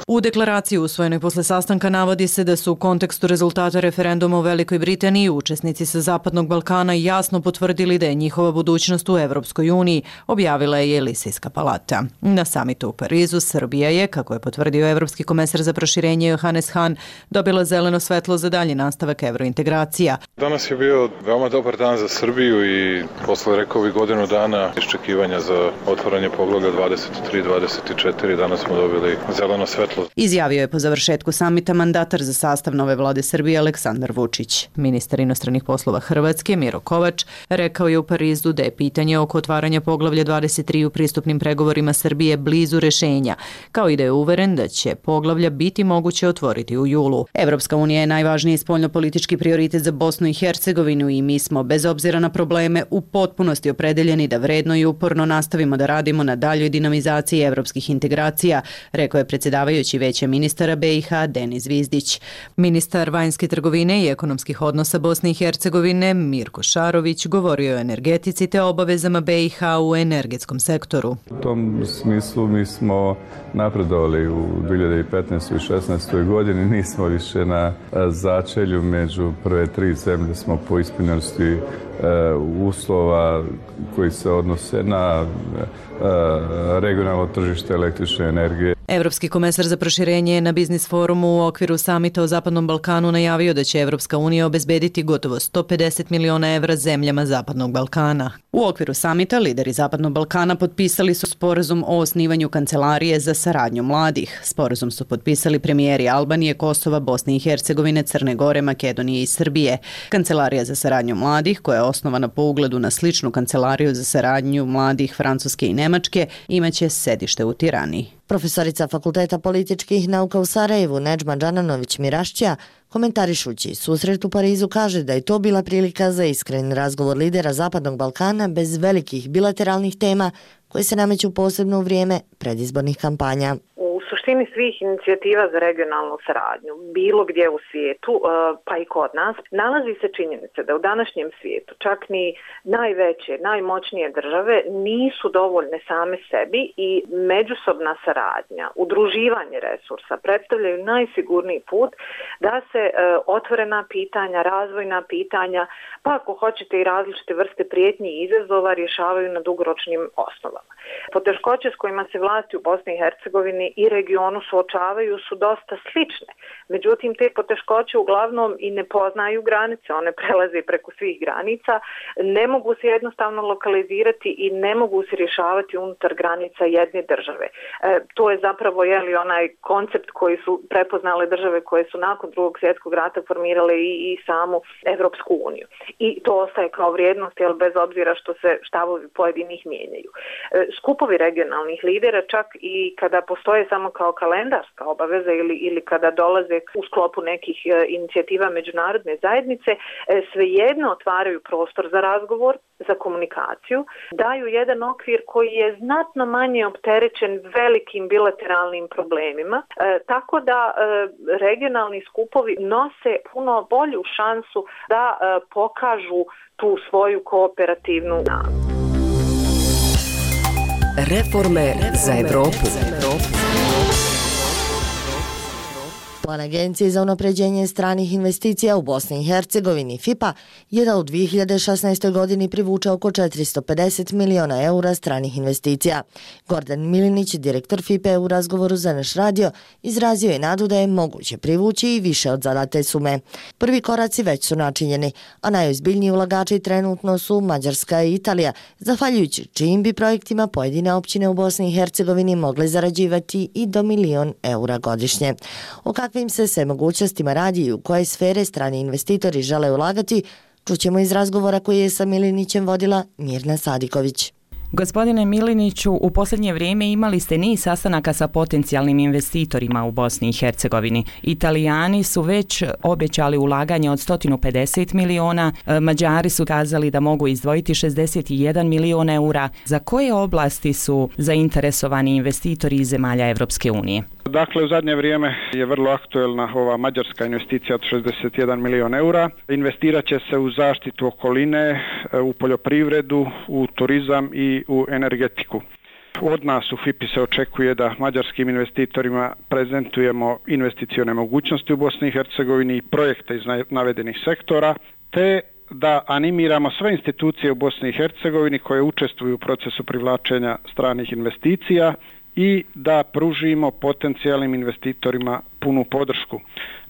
U deklaraciji usvojenoj posle sastanka navodi se da su u kontekstu rezultata referenduma u Velikoj Britaniji učesnici sa Zapadnog Balkana jasno potvrdili da je njihova budućnost u Evropskoj uniji, objavila je Elisejska palata. Na samitu u Parizu Srbija je, kako je potvrdio Evropski komesar za proširenje Johannes Hahn, dobila zeleno svetlo za dalji nastavak evrointegracija. Danas je bio veoma dobar dan za Srbiju i posle, rekao bih, godinu dana iščekivanja za otvaranje poglavlja dvadeset tri dvadeset četiri, danas smo dobili zeleno svetlo. Izjavio je po završetku samita mandatar za sastav nove vlade Srbije Aleksandar Vučić. Ministar inostranih poslova Hrvatske Miro Kovač rekao je u Parizu da je pitanje oko otvaranja poglavlja dvadeset tri u pristupnim pregovorima Srbije blizu rešenja, kao i da je uveren da će poglavlja biti moguće otvoriti u julu. Evropska unija je najvažniji spoljnopolitički prioritet za Bosnu i Hercegovinu i mi smo, bez obzira na probleme, u potpunosti opredeljeni da vredno i uporno nastavimo da radimo na daljoj dinamizaciji evropskih integracija, rekao je predsjedavajući Veća ministara B i H Denis Zvizdić. Ministar vanjske trgovine i ekonomskih odnosa Bosne i Hercegovine Mirko Šarović govorio o energetici te obavezama B i H u energetskom sektoru. U tom smislu mi smo napredovali u dvije hiljade petnaestoj i šesnaestoj godini, nismo više na začelju, među prve tri zemlje smo po ispunjenosti uslova koji se odnose na regionalno tržište električne energije. Evropski komesar za proširenje je na biznis forumu u okviru samita o Zapadnom Balkanu najavio da će Evropska unija obezbediti gotovo sto pedeset miliona evra zemljama Zapadnog Balkana. U okviru samita lideri Zapadnog Balkana potpisali su sporazum o osnivanju kancelarije za saradnju mladih. Sporazum su potpisali premijeri Albanije, Kosova, Bosne i Hercegovine, Crne Gore, Makedonije i Srbije. Kancelarija za saradnju mladih, koja je osnovana po ugledu na sličnu kancelariju za saradnju mladih Francuske i Nemačke, imaće sedište u Tirani. Profesorica Fakulteta političkih nauka u Sarajevu Nedžma Džananović Mirašća, komentarišući susret u Parizu, kaže da je to bila prilika za iskren razgovor lidera Zapadnog Balkana bez velikih bilateralnih tema koje se nameću posebno u vrijeme predizbornih kampanja. U suštini svih inicijativa za regionalnu saradnju, bilo gdje u svijetu, pa i kod nas, nalazi se činjenica da u današnjem svijetu čak ni najveće, najmoćnije države nisu dovoljne same sebi i međusobna saradnja, udruživanje resursa predstavljaju najsigurniji put da se otvorena pitanja, razvojna pitanja, pa ako hoćete i različite vrste prijetnji i izazova rješavaju na dugoročnim osnovama. Poteškoće s kojima se vlasti u Bosni i Hercegovini i regionu suočavaju su dosta slične. Međutim, te poteškoće uglavnom i ne poznaju granice, one prelaze preko svih granica, ne mogu se jednostavno lokalizirati i ne mogu se rješavati unutar granica jedne države. E, to je zapravo jeli, onaj koncept koji su prepoznale države koje su nakon drugog svjetskog rata formirale i, i samu Evropsku uniju. I to ostaje kao vrijednost, jel, bez obzira što se štavovi pojedinih mijenjaju. E, skupovi regionalnih lidera, čak i kada postoje samo kao kalendarska obaveza ili, ili kada dolaze u sklopu nekih e, inicijativa međunarodne zajednice, e, svejedno otvaraju prostor za razgovor, za komunikaciju, daju jedan okvir koji je znatno manje opterećen velikim bilateralnim problemima, e, tako da e, regionalni skupovi nose puno bolju šansu da e, pokažu tu svoju kooperativnu snagu. Reforme za Evropu. Plan Agencije za unapređenje stranih investicija u Bosni i Hercegovini F I P A je da u dvije hiljade šesnaestoj godini privuče oko četiristo pedeset miliona eura stranih investicija. Gordan Milinić, direktor F I P A u razgovoru za naš radio, izrazio je nadu da je moguće privući i više od zadate sume. Prvi koraci već su načinjeni, a najozbiljniji ulagači trenutno su Mađarska i Italija, zahvaljujući čijim bi projektima pojedine općine u Bosni i Hercegovini mogle zarađivati i do milion eura godišnje. O kakvim se sve mogućnostima radi i u koje sfere strani investitori žele ulagati, čućemo iz razgovora koji je sa Milinićem vodila Mirna Sadiković. Gospodine Miliniću, u posljednje vrijeme imali ste niz sastanaka sa potencijalnim investitorima u Bosni i Hercegovini. Italijani su već obećali ulaganje od sto pedeset miliona, Mađari su kazali da mogu izdvojiti šezdeset jedan milion eura. Za koje oblasti su zainteresovani investitori iz zemalja Evropske unije? Dakle, u zadnje vrijeme je vrlo aktuelna ova mađarska investicija od šezdeset jedan milion eura. Investirat će se u zaštitu okoline, u poljoprivredu, u turizam i u energetiku. Od nas u F I P I se očekuje da mađarskim investitorima prezentujemo investicione mogućnosti u Bosni i Hercegovini i projekte iz navedenih sektora, te da animiramo sve institucije u Bosni i Hercegovini koje učestvuju u procesu privlačenja stranih investicija i da pružimo potencijalnim investitorima punu podršku.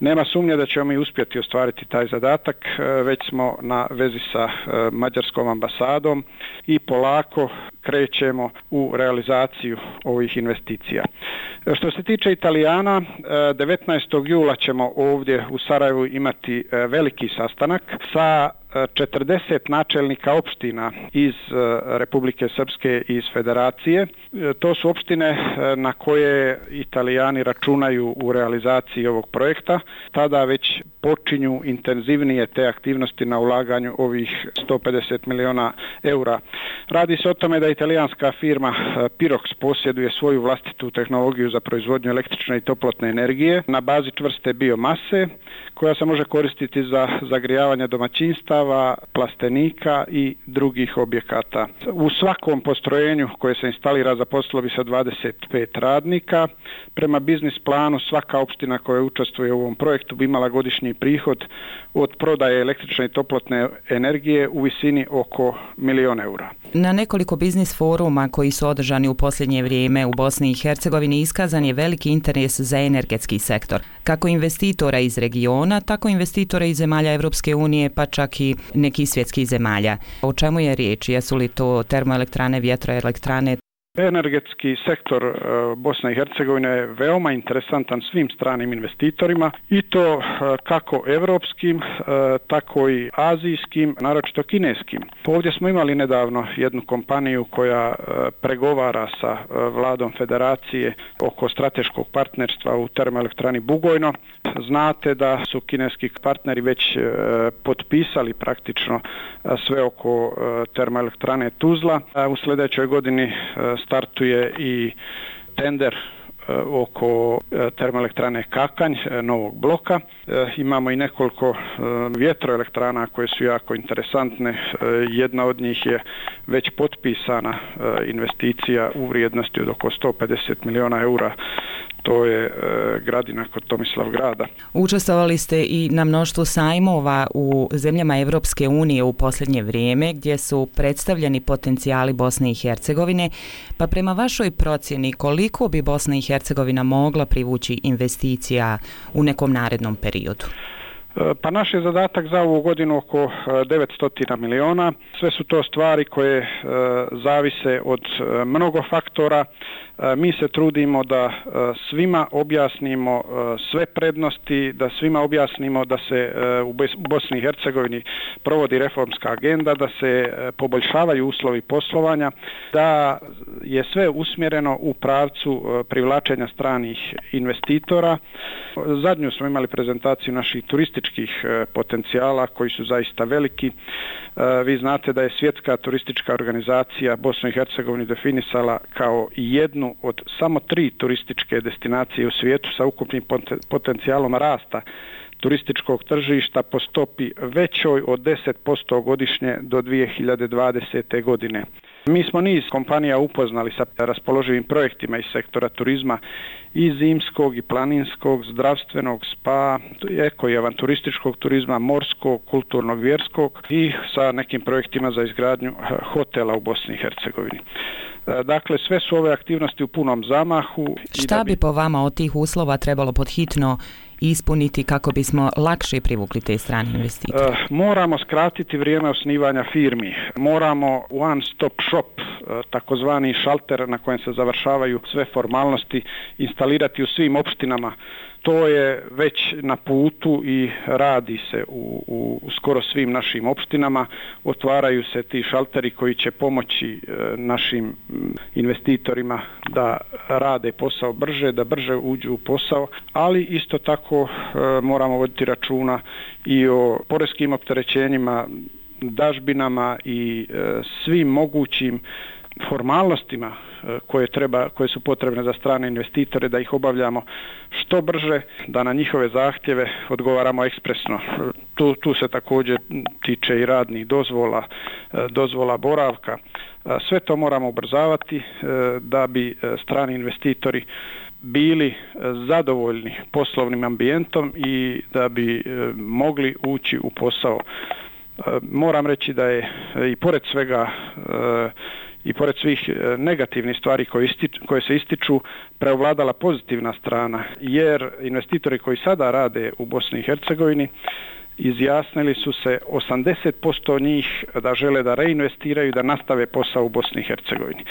Nema sumnje da ćemo mi uspjeti ostvariti taj zadatak, već smo na vezi sa mađarskom ambasadom i polako krećemo u realizaciju ovih investicija. Što se tiče Italijana, devetnaestog jula ćemo ovdje u Sarajevu imati veliki sastanak sa četrdeset načelnika opština iz Republike Srpske i iz Federacije. To su opštine na koje Italijani računaju u realizaciji ovog projekta. Tada već počinju intenzivnije te aktivnosti na ulaganju ovih sto pedeset miliona eura. Radi se o tome da italijanska firma Pirox posjeduje svoju vlastitu tehnologiju za proizvodnju električne i toplotne energije na bazi čvrste biomase koja se može koristiti za zagrijavanje domaćinstava, plastenika i drugih objekata. U svakom postrojenju koje se instalira zaposlilo bi se dvadeset pet radnika. Prema biznis planu svaka opština koja učestvuje u ovom projektu bi imala godišnji prihod od prodaje električne i toplotne energije u visini oko milion eura. Na nekoliko biznis foruma koji su održani u posljednje vrijeme u Bosni i Hercegovini iskazan je veliki interes za energetski sektor, kako investitora iz regiona, tako investitora iz zemalja Evropske unije, pa čak i nekih svjetskih zemalja. O čemu je riječ? Jesu li to termoelektrane, vjetroelektrane? Energetski sektor Bosne i Hercegovine je veoma interesantan svim stranim investitorima i to kako evropskim, tako i azijskim, naročito kineskim. Ovdje smo imali nedavno jednu kompaniju koja pregovara sa vladom Federacije oko strateškog partnerstva u termoelektrani Bugojno. Znate da su kineski partneri već potpisali praktično sve oko termoelektrane Tuzla. U sljedećoj godini startuje i tender oko termoelektrane Kakanj, novog bloka. Imamo i nekoliko vjetroelektrana koje su jako interesantne. Jedna od njih je već potpisana investicija u vrijednosti od oko sto pedeset miliona eura. To je gradina kod Tomislavgrada. Učestvovali ste i na mnoštvu sajmova u zemljama Evropske unije u posljednje vrijeme gdje su predstavljeni potencijali Bosne i Hercegovine, pa prema vašoj procjeni koliko bi Bosna i Hercegovina mogla privući investicija u nekom narednom periodu? Pa naš je zadatak za ovu godinu oko devetsto miliona. Sve su to stvari koje zavise od mnogo faktora. Mi se trudimo da svima objasnimo sve prednosti, da svima objasnimo da se u Bosni i Hercegovini provodi reformska agenda, da se poboljšavaju uslovi poslovanja, da je sve usmjereno u pravcu privlačenja stranih investitora. Zadnju smo imali prezentaciju naših turističkih potencijala koji su zaista veliki. Vi znate da je Svjetska turistička organizacija Bosnu i Hercegovini definisala kao jednu od samo tri turističke destinacije u svijetu sa ukupnim potencijalom rasta turističkog tržišta po stopi većoj od deset posto godišnje do dvije hiljade dvadesete. godine. Mi smo niz kompanija upoznali sa raspoloživim projektima iz sektora turizma i zimskog i planinskog, zdravstvenog, spa, eko i avanturističkog turizma, morskog, kulturnog, vjerskog i sa nekim projektima za izgradnju hotela u Bosni i Hercegovini. Dakle, sve su ove aktivnosti u punom zamahu. Šta bi po vama od tih uslova trebalo podhitno ispuniti kako bismo lakše privukli te strane investitore? Moramo skratiti vrijeme osnivanja firmi. Moramo one stop shop, takozvani šalter na kojem se završavaju sve formalnosti, instalirati u svim opštinama. To je već na putu i radi se u, u skoro svim našim opštinama. Otvaraju se ti šalteri koji će pomoći e, našim investitorima da rade posao brže, da brže uđu u posao, ali isto tako e, moramo voditi računa i o poreskim opterećenjima, dažbinama i e, svim mogućim formalnostima koje, treba, koje su potrebne za strane investitore, da ih obavljamo što brže, da na njihove zahtjeve odgovaramo ekspresno. Tu, tu se također tiče i radnih dozvola, dozvola boravka. Sve to moramo ubrzavati da bi strani investitori bili zadovoljni poslovnim ambijentom i da bi mogli ući u posao. Moram reći da je i pored svega i pored svih negativnih stvari koje, ističu, koje se ističu preovladala pozitivna strana, jer investitori koji sada rade u Bosni i Hercegovini izjasnili su se osamdeset posto njih da žele da reinvestiraju, da nastave posao u Bosni i Hercegovini.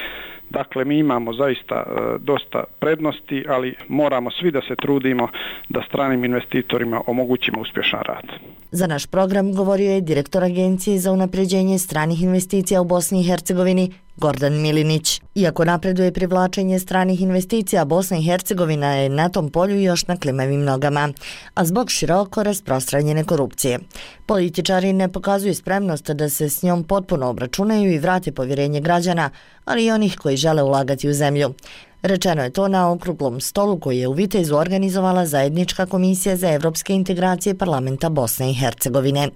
Dakle, mi imamo zaista e, dosta prednosti, ali moramo svi da se trudimo da stranim investitorima omogućimo uspješan rad. Za naš program govorio je direktor Agencije za unapređenje stranih investicija u Bosni i Hercegovini Gordan Milinić. Iako napreduje privlačenje stranih investicija, Bosna i Hercegovina je na tom polju još na klimavim nogama, a zbog široko rasprostranjene korupcije. Političari ne pokazuju spremnost da se s njom potpuno obračunaju i vrate povjerenje građana, ali i onih koji žele ulagati u zemlju. Rečeno je to na okruglom stolu koji je u Vitezu organizovala Zajednička komisija za evropske integracije parlamenta Bosne i Hercegovine.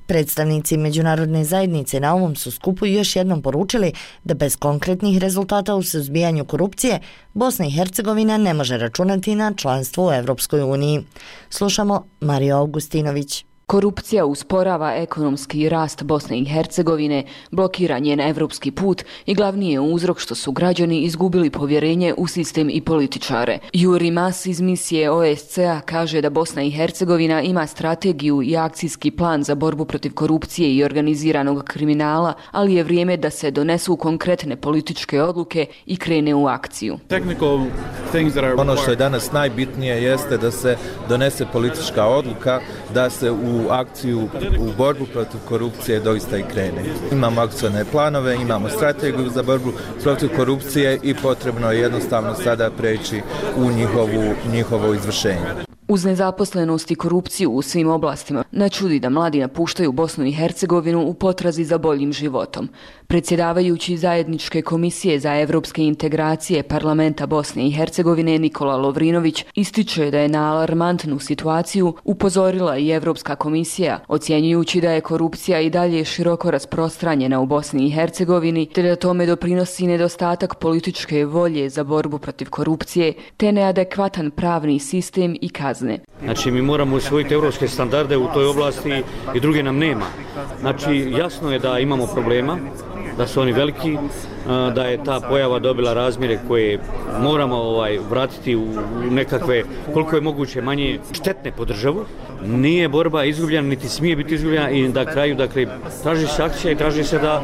Predstavnici međunarodne zajednice na ovom su skupu još jednom poručili da bez konkretnih rezultata u suzbijanju korupcije Bosna i Hercegovina ne može računati na članstvo u Evropskoj uniji. Slušamo Mariju Augustinović. Korupcija usporava ekonomski rast Bosne i Hercegovine, blokira njen evropski put i glavni je uzrok što su građani izgubili povjerenje u sistem i političare. Juri Mas iz misije O S C A kaže da Bosna i Hercegovina ima strategiju i akcijski plan za borbu protiv korupcije i organiziranog kriminala, ali je vrijeme da se donesu konkretne političke odluke i krene u akciju. Ono što je danas najbitnije jeste da se donese politička odluka, da se u akciju, u borbu protiv korupcije doista i krene. Imamo akcijne planove, imamo strategiju za borbu protiv korupcije i potrebno je jednostavno sada preći u njihovu, njihovo izvršenje. Uz nezaposlenost i korupciju u svim oblastima, ne čudi da mladi napuštaju Bosnu i Hercegovinu u potrazi za boljim životom. Predsjedavajući Zajedničke komisije za evropske integracije parlamenta Bosne i Hercegovine Nikola Lovrinović ističe da je na alarmantnu situaciju upozorila i Evropska komisija, ocjenjujući da je korupcija i dalje široko rasprostranjena u Bosni i Hercegovini, te da tome doprinosi nedostatak političke volje za borbu protiv korupcije, te neadekvatan pravni sistem i kazne. Znači, mi moramo usvojiti evropske standarde u toj oblasti i druge nam nema. Znači, jasno je da imamo problema, da su oni veliki, da je ta pojava dobila razmjere koje moramo ovaj, vratiti u nekakve, koliko je moguće manje štetne po državu. Nije borba izgubljena, niti smije biti izgubljena i na kraju, dakle, traži se akcija i traži se da,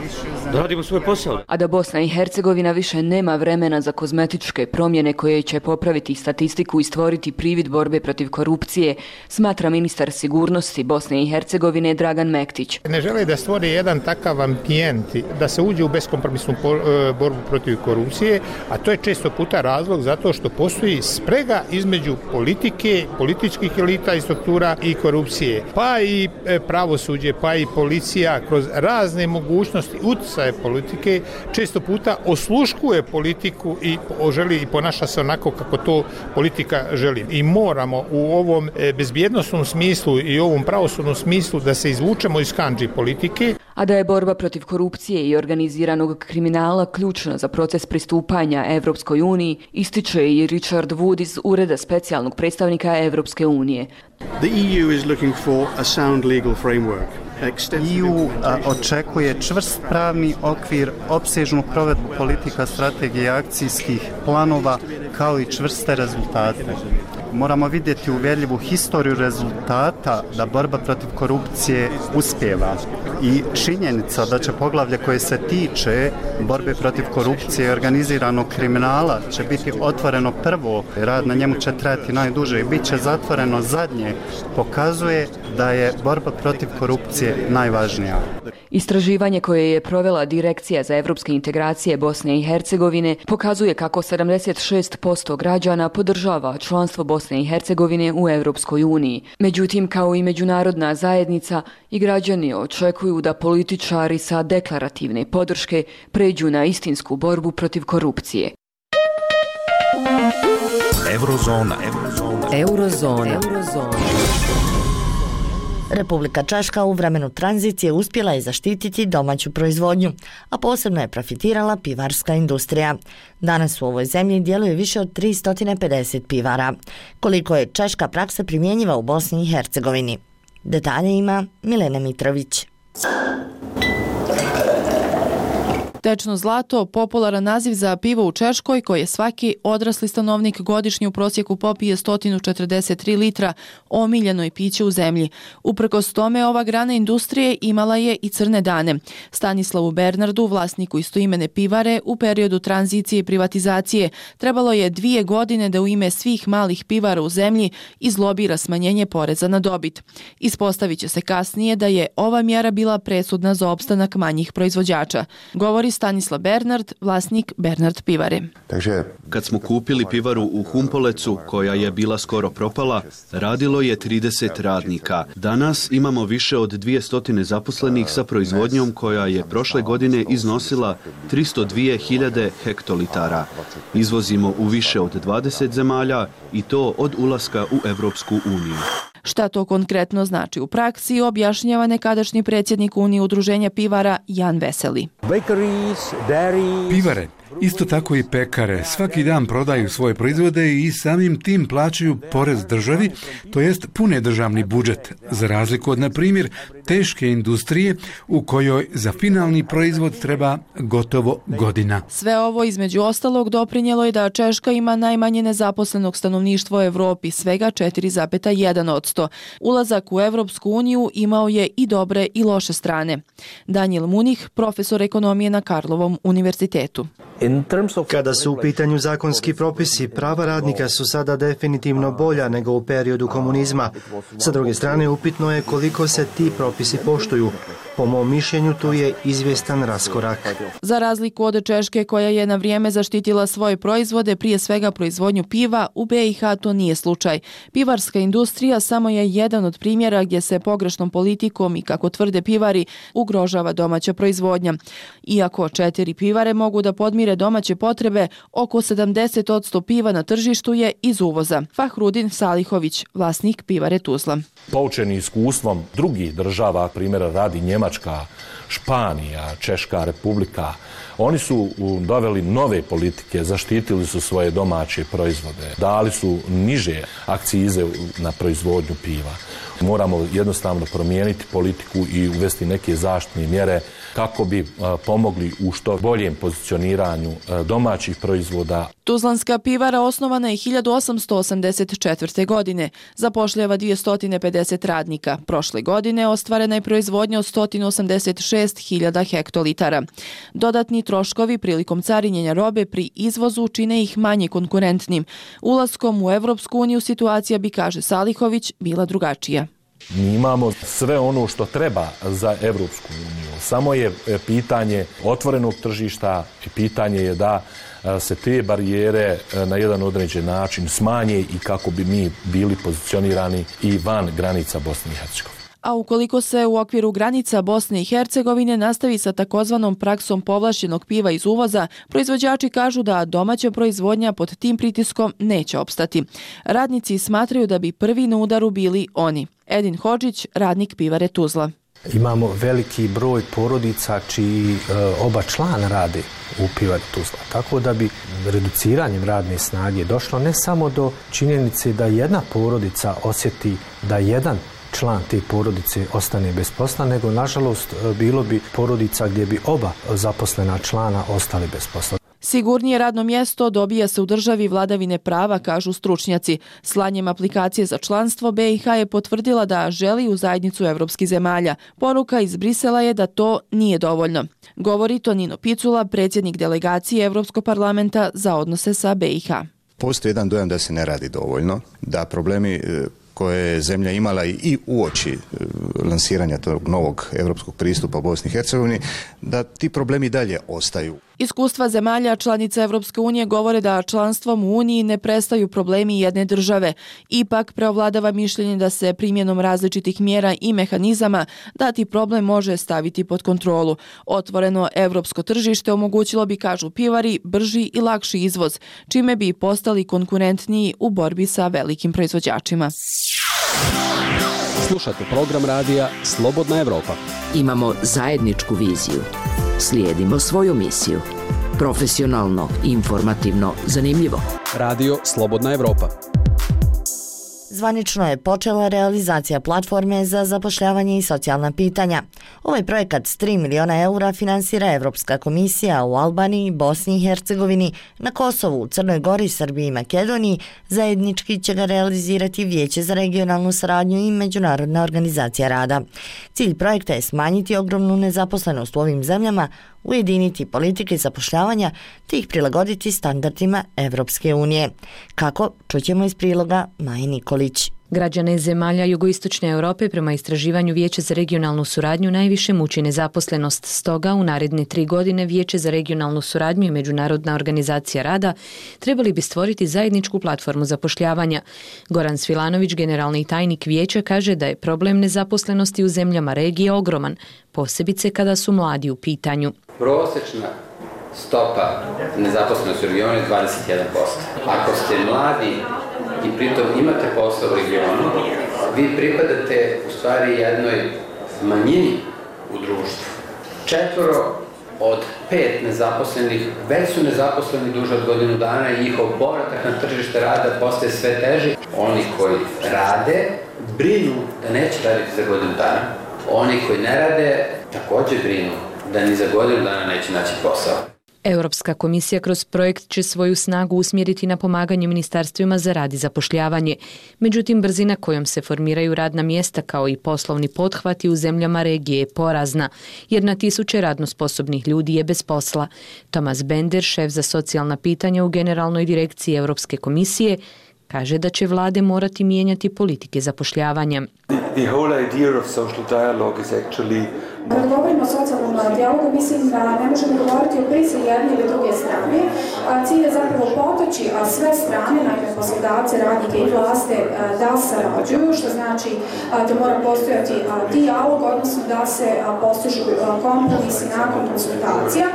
da radimo svoj posao. A da Bosna i Hercegovina više nema vremena za kozmetičke promjene koje će popraviti statistiku i stvoriti privid borbe protiv korupcije, smatra ministar sigurnosti Bosne i Hercegovine Dragan Mektić. Ne žele da stvori jedan takav ambijent, da se uđe u beskompromisnu borbu protiv korupcije, a to je često puta razlog zato što postoji sprega između politike, političkih elita i struktura i korupcije, pa i pravosuđe, pa i policija kroz razne mogućnosti utjecaja politike često puta osluškuje politiku i želi i ponaša se onako kako to politika želi. I moramo u ovom bezbjednosnom smislu i ovom pravosudnom smislu da se izvučemo iz kandži politike. A da je borba protiv korupcije i organiziranog kriminala ključna za proces pristupanja Evropskoj uniji, ističe i Richard Wood iz Ureda specijalnog predstavnika Evropske unije. The E U is looking for a sound legal framework. E U očekuje čvrst pravni okvir, opsežnu provedbu politika, strategije i akcijskih planova, kao i čvrste rezultate. Moramo vidjeti uvjerljivu historiju rezultata da borba protiv korupcije uspjeva. I činjenica da će poglavlje koje se tiče borbe protiv korupcije i organiziranog kriminala će biti otvoreno prvo, rad na njemu će trajati najduže i bit će zatvoreno zadnje, pokazuje da je borba protiv korupcije najvažnija. Istraživanje koje je provela Direkcija za evropske integracije Bosne i Hercegovine pokazuje kako sedamdeset šest posto građana podržava članstvo Bosne Bosne i Hercegovine u Europskoj uniji. Međutim, kao i međunarodna zajednica, i građani očekuju da političari sa deklarativne podrške pređu na istinsku borbu protiv korupcije. Eurozona. Eurozona. Eurozona. Eurozona. Republika Češka u vremenu tranzicije uspjela je zaštititi domaću proizvodnju, a posebno je profitirala pivarska industrija. Danas u ovoj zemlji djeluje više od tristo pedeset pivara. Koliko je češka praksa primjenjiva u Bosni i Hercegovini? Detalje ima Milena Mitrović. Tečno zlato, popularan naziv za pivo u Češkoj, koje svaki odrasli stanovnik godišnje u prosjeku popije sto četrdeset tri litra, omiljeno je piće u zemlji. Uprkos tome, ova grana industrije imala je i crne dane. Stanislavu Bernardu, vlasniku istoimene pivare, u periodu tranzicije i privatizacije trebalo je dvije godine da u ime svih malih pivara u zemlji izlobira smanjenje poreza na dobit. Ispostavit će se kasnije da je ova mjera bila presudna za opstanak manjih proizvođača. Govori Stanislav Bernard, vlasnik Bernard pivare. Takže kad smo kupili pivaru u Humpolecu, koja je bila skoro propala, radilo je trideset radnika. Danas imamo više od dvjesto zaposlenih sa proizvodnjom koja je prošle godine iznosila tristo dvije hiljade hektolitara. Izvozimo u više od dvadeset zemalja i to od ulaska u Evropsku uniju. Šta to konkretno znači u praksi, objašnjava nekadašnji predsjednik Unije udruženja pivara Jan Veseli. Pivare, isto tako i pekare, svaki dan prodaju svoje proizvode i samim tim plaćaju porez državi, to jest pune državni budžet, za razliku od, na primjer, teške industrije u kojoj za finalni proizvod treba gotovo godina. Sve ovo između ostalog doprinjelo je da Češka ima najmanje nezaposlenog stanovništva u Evropi, svega četiri zarez jedan posto. Ulazak u Evropsku uniju imao je i dobre i loše strane. Daniel Munih, profesor ekonomije na Karlovom univerzitetu. Kada su u pitanju zakonski propisi, prava radnika su sada definitivno bolja nego u periodu komunizma. Sa druge strane, upitno je koliko se ti propisi poštuju. Po mom mišljenju, tu je izvjestan raskorak. Za razliku od Češke, koja je na vrijeme zaštitila svoje proizvode, prije svega proizvodnju piva, u B i H to nije slučaj. Pivarska industrija samo je jedan od primjera gdje se pogrešnom politikom i, kako tvrde pivari, ugrožava domaća proizvodnja. Iako četiri pivare mogu da podmire domaće potrebe, oko sedamdeset posto piva na tržištu je iz uvoza. Fahrudin Salihović, vlasnik pivare Tuzla. Poučeni iskustvom drugih država, primjera radi Njemačka, Španija, Češka republika, oni su doveli nove politike, zaštitili su svoje domaće proizvode, dali su niže akcize na proizvodnju piva. Moramo jednostavno promijeniti politiku i uvesti neke zaštitne mjere kako bi pomogli u što boljem pozicioniranju domaćih proizvoda. Tuzlanska pivara osnovana je hiljadu osamsto osamdeset četvrte. godine. Zapošljava dvjesto pedeset radnika. Prošle godine ostvarena je proizvodnja od sto osamdeset šest hiljada hektolitara. Dodatni troškovi prilikom carinjenja robe pri izvozu čine ih manje konkurentnim. Ulaskom u Evropsku uniju situacija bi, kaže Salihović, bila drugačija. Mi imamo sve ono što treba za Evropsku uniju. Samo je pitanje otvorenog tržišta i pitanje je da se te barijere na jedan određen način smanje i kako bi mi bili pozicionirani i van granica Bosne i Hercegovine. A ukoliko se u okviru granica Bosne i Hercegovine nastavi sa takozvanom praksom povlašćenog piva iz uvoza, proizvođači kažu da domaća proizvodnja pod tim pritiskom neće opstati. Radnici smatraju da bi prvi na udaru bili oni. Edin Hodžić, radnik pivare Tuzla. Imamo veliki broj porodica čiji e, oba člana rade u pivari Tuzla. Tako da bi reduciranjem radne snage došlo ne samo do činjenice da jedna porodica osjeti da jedan član te porodice ostane bez posla, nego nažalost bilo bi porodica gdje bi oba zaposlena člana ostali bez posla. Sigurnije radno mjesto dobija se u državi vladavine prava, kažu stručnjaci. Slanjem aplikacije za članstvo B i H je potvrdila da želi u zajednicu evropskih zemalja. Poruka iz Brisela je da to nije dovoljno. Govori Tonino Picula, predsjednik delegacije Evropskog parlamenta za odnose sa B i H. Postoji jedan dojam da se ne radi dovoljno, da problemi koje je zemlja imala i uoči lansiranja tog novog europskog pristupa Bosni i Hercegovini, da ti problemi dalje ostaju. Iskustva zemalja članica Evropske unije govore da članstvom u Uniji ne prestaju problemi jedne države. Ipak preovladava mišljenje da se primjenom različitih mjera i mehanizama dati problem može staviti pod kontrolu. Otvoreno evropsko tržište omogućilo bi, kažu pivari, brži i lakši izvoz, čime bi postali konkurentniji u borbi sa velikim proizvođačima. Slušate program radija Slobodna Evropa. Imamo zajedničku viziju. Slijedimo svoju misiju. Profesionalno, informativno, zanimljivo. Radio Slobodna Evropa. Zvanično je počela realizacija platforme za zapošljavanje i socijalna pitanja. Ovaj projekat s tri miliona eura finansira Evropska komisija u Albaniji, Bosni i Hercegovini, na Kosovu, Crnoj Gori, Srbiji i Makedoniji. Zajednički će ga realizirati Vijeće za regionalnu saradnju i Međunarodna organizacija rada. Cilj projekta je smanjiti ogromnu nezaposlenost u ovim zemljama, ujediniti politike zapošljavanja te ih prilagoditi standardima Evropske unije. Kako? Čućemo iz priloga Maje Nikolić. Građane zemalja jugoistočne Europe prema istraživanju Vijeća za regionalnu suradnju najviše muči nezaposlenost. Stoga u naredne tri godine Vijeće za regionalnu suradnju i Međunarodna organizacija rada trebali bi stvoriti zajedničku platformu zapošljavanja. Goran Svilanović, generalni tajnik Vijeća, kaže da je problem nezaposlenosti u zemljama regije ogroman, posebice kada su mladi u pitanju. Prosječna stopa nezaposlenosti u regionu je dvadeset jedan posto. Ako ste mladi i pritom imate posao u regionu, vi pripadate u stvari jednoj manjini u društvu. Četvoro od pet nezaposlenih već su nezaposleni duže od godinu dana i njihov povratak na tržište rada postaje sve teži. Oni koji rade brinu da neće raditi za godinu dana. Oni koji ne rade također brinu da ni za godinu dana neće naći posao. Europska komisija kroz projekt će svoju snagu usmjeriti na pomaganje ministarstvima za rad i zapošljavanje. Međutim, brzina kojom se formiraju radna mjesta kao i poslovni pothvati u zemljama regije je porazna, jer na tisuće radno sposobnih ljudi je bez posla. Tomas Bender, šef za socijalna pitanja u Generalnoj direkciji Europske komisije, kaže da će vlade morati mijenjati politike zapošljavanja. The whole idea of social dialogue is actually Kad govorimo o socijalnom dijalogu, mislim da ne možemo govoriti o prisili jedne ili druge strane. Cilj je zapravo potaći sve strane, najme poslodavce, radnike i vlasti, da sarađuju, što znači da mora postojati dijalog, odnosno da se postižu kompromisi nakon konsultacija.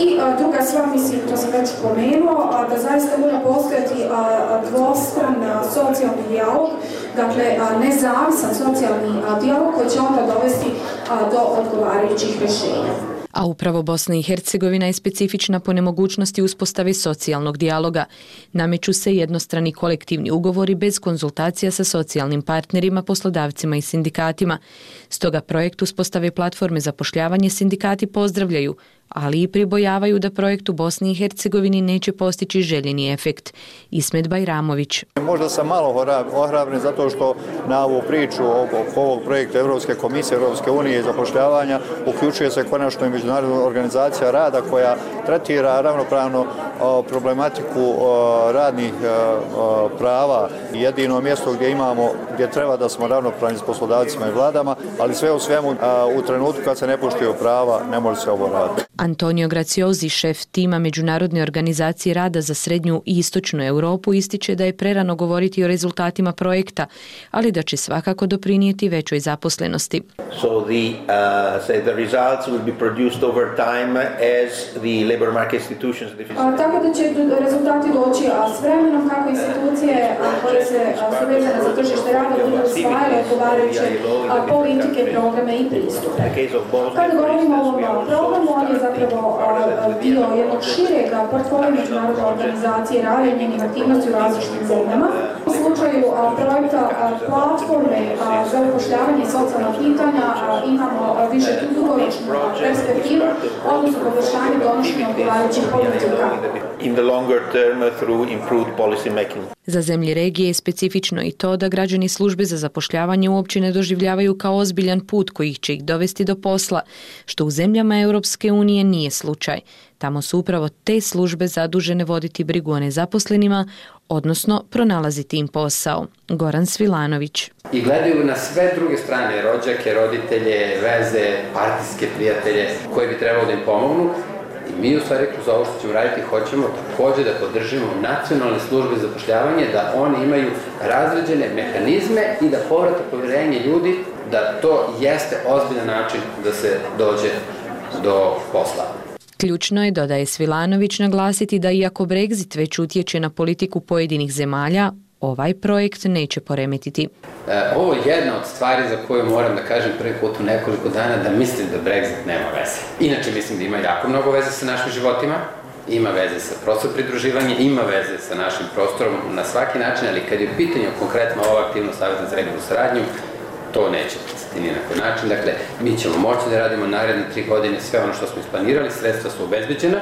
I druga stvar, mislim, to sam već pomenuo, da zaista mora postojati dvostran socijalni dijalog, dakle nezavisan socijalni dijalog koji će onda dovesti do odgovarajućih rješenja. A upravo Bosna i Hercegovina je specifična po nemogućnosti uspostave socijalnog dijaloga. Nameću se jednostrani kolektivni ugovori bez konzultacija sa socijalnim partnerima, poslodavcima i sindikatima. Stoga projekt uspostave platforme zapošljavanje sindikati pozdravljaju, ali i pribojavaju da projekt u Bosni i Hercegovini neće postići željeni efekt. Ismet Bajramović. Možda sam malo ohrabren zato što na ovu priču oko ovog projekta Evropske komisije, Evropske unije i zapošljavanja uključuje se konačno i Međunarodna organizacija rada koja tretira ravnopravno problematiku radnih prava. Jedino mjesto gdje imamo, gdje treba da smo ravnopravni s poslodavcima i vladama, ali sve u svemu u trenutku kad se ne poštuju prava ne može se ovo raditi. Antonio Graciozi, šef tima Međunarodne organizacije rada za srednju i istočnu Europu, ističe da je prerano govoriti o rezultatima projekta, ali da će svakako doprinijeti većoj zaposlenosti. So the, uh, say the results will be produced over time as the labor market institutions. A, tako da će rezultati doći a s vremenom kako institucije a, koje se su vezane za tržište rada budu usvajale odgovarajuće politike, programe i pristupe. Kada govorimo o ovom programu, on je zapravo dio jednog šireg portfolija Međunarodne organizacije rada i njenih aktivnosti u različitim zemljama. U slučaju projekta platforme za upošljavanje i socijalna pitanja imamo više tu dugoročnu perspektivu, odnosno poboljšanje donošenja odgovarajućih politika. In the longer term through improved policy making. Za zemlje regije je specifično i to da građani službe za zapošljavanje uopće ne doživljavaju kao ozbiljan put koji će ih dovesti do posla, što u zemljama Europske unije nije slučaj. Tamo su upravo te službe zadužene voditi brigu o nezaposlenima, odnosno pronalaziti im posao. Goran Svilanović. i gledaju na sve druge strane, rođake, roditelje, veze, partijske prijatelje koji bi trebalo da im pomognu. I mi u stvari kroz ovo što ćemo raditi hoćemo takođe da podržimo nacionalne službe za zapošljavanje, da oni imaju razređene mehanizme i da povrate poverenje ljudi da to jeste ozbiljan način da se dođe do posla. Ključno je, dodaje Svilanović, naglasiti da iako Brexit već utječe na politiku pojedinih zemalja, ovaj projekt neće poremetiti. E, ovo je jedna od stvari za koju moram da kažem prvi put u nekoliko dana da mislim da Brexit nema veze. Inače mislim da ima jako mnogo veze sa našim životima, ima veze sa prostorom pridruživanja, ima veze sa našim prostorom na svaki način, ali kad je u pitanju konkretno ova aktivnost Saveza za regionalnu saradnju, to neće utjecati ni na koji način. Dakle, mi ćemo moći da radimo naredne tri godine sve ono što smo isplanirali, sredstva su obezbeđena.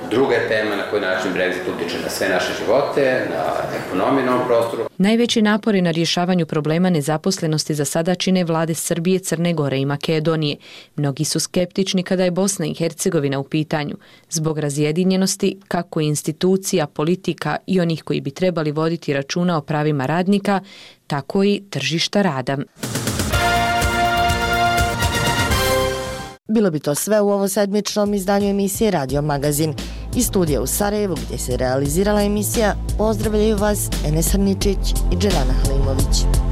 Druga je tema na koji način Brexit utiče na sve naše živote, na ekonomiju na ovom prostoru. Najveći napori na rješavanju problema nezaposlenosti za sada čine vlade Srbije, Crne Gore i Makedonije. Mnogi su skeptični kada je Bosna i Hercegovina u pitanju, zbog razjedinjenosti kako institucija, politika i onih koji bi trebali voditi računa o pravima radnika, tako i tržišta rada. Bilo bi to sve u ovo sedmičnom izdanju emisije Radio Magazin. Iz studija u Sarajevu, gdje se realizirala emisija, pozdravljaju vas Enes Hrničić i Dželana Halimović.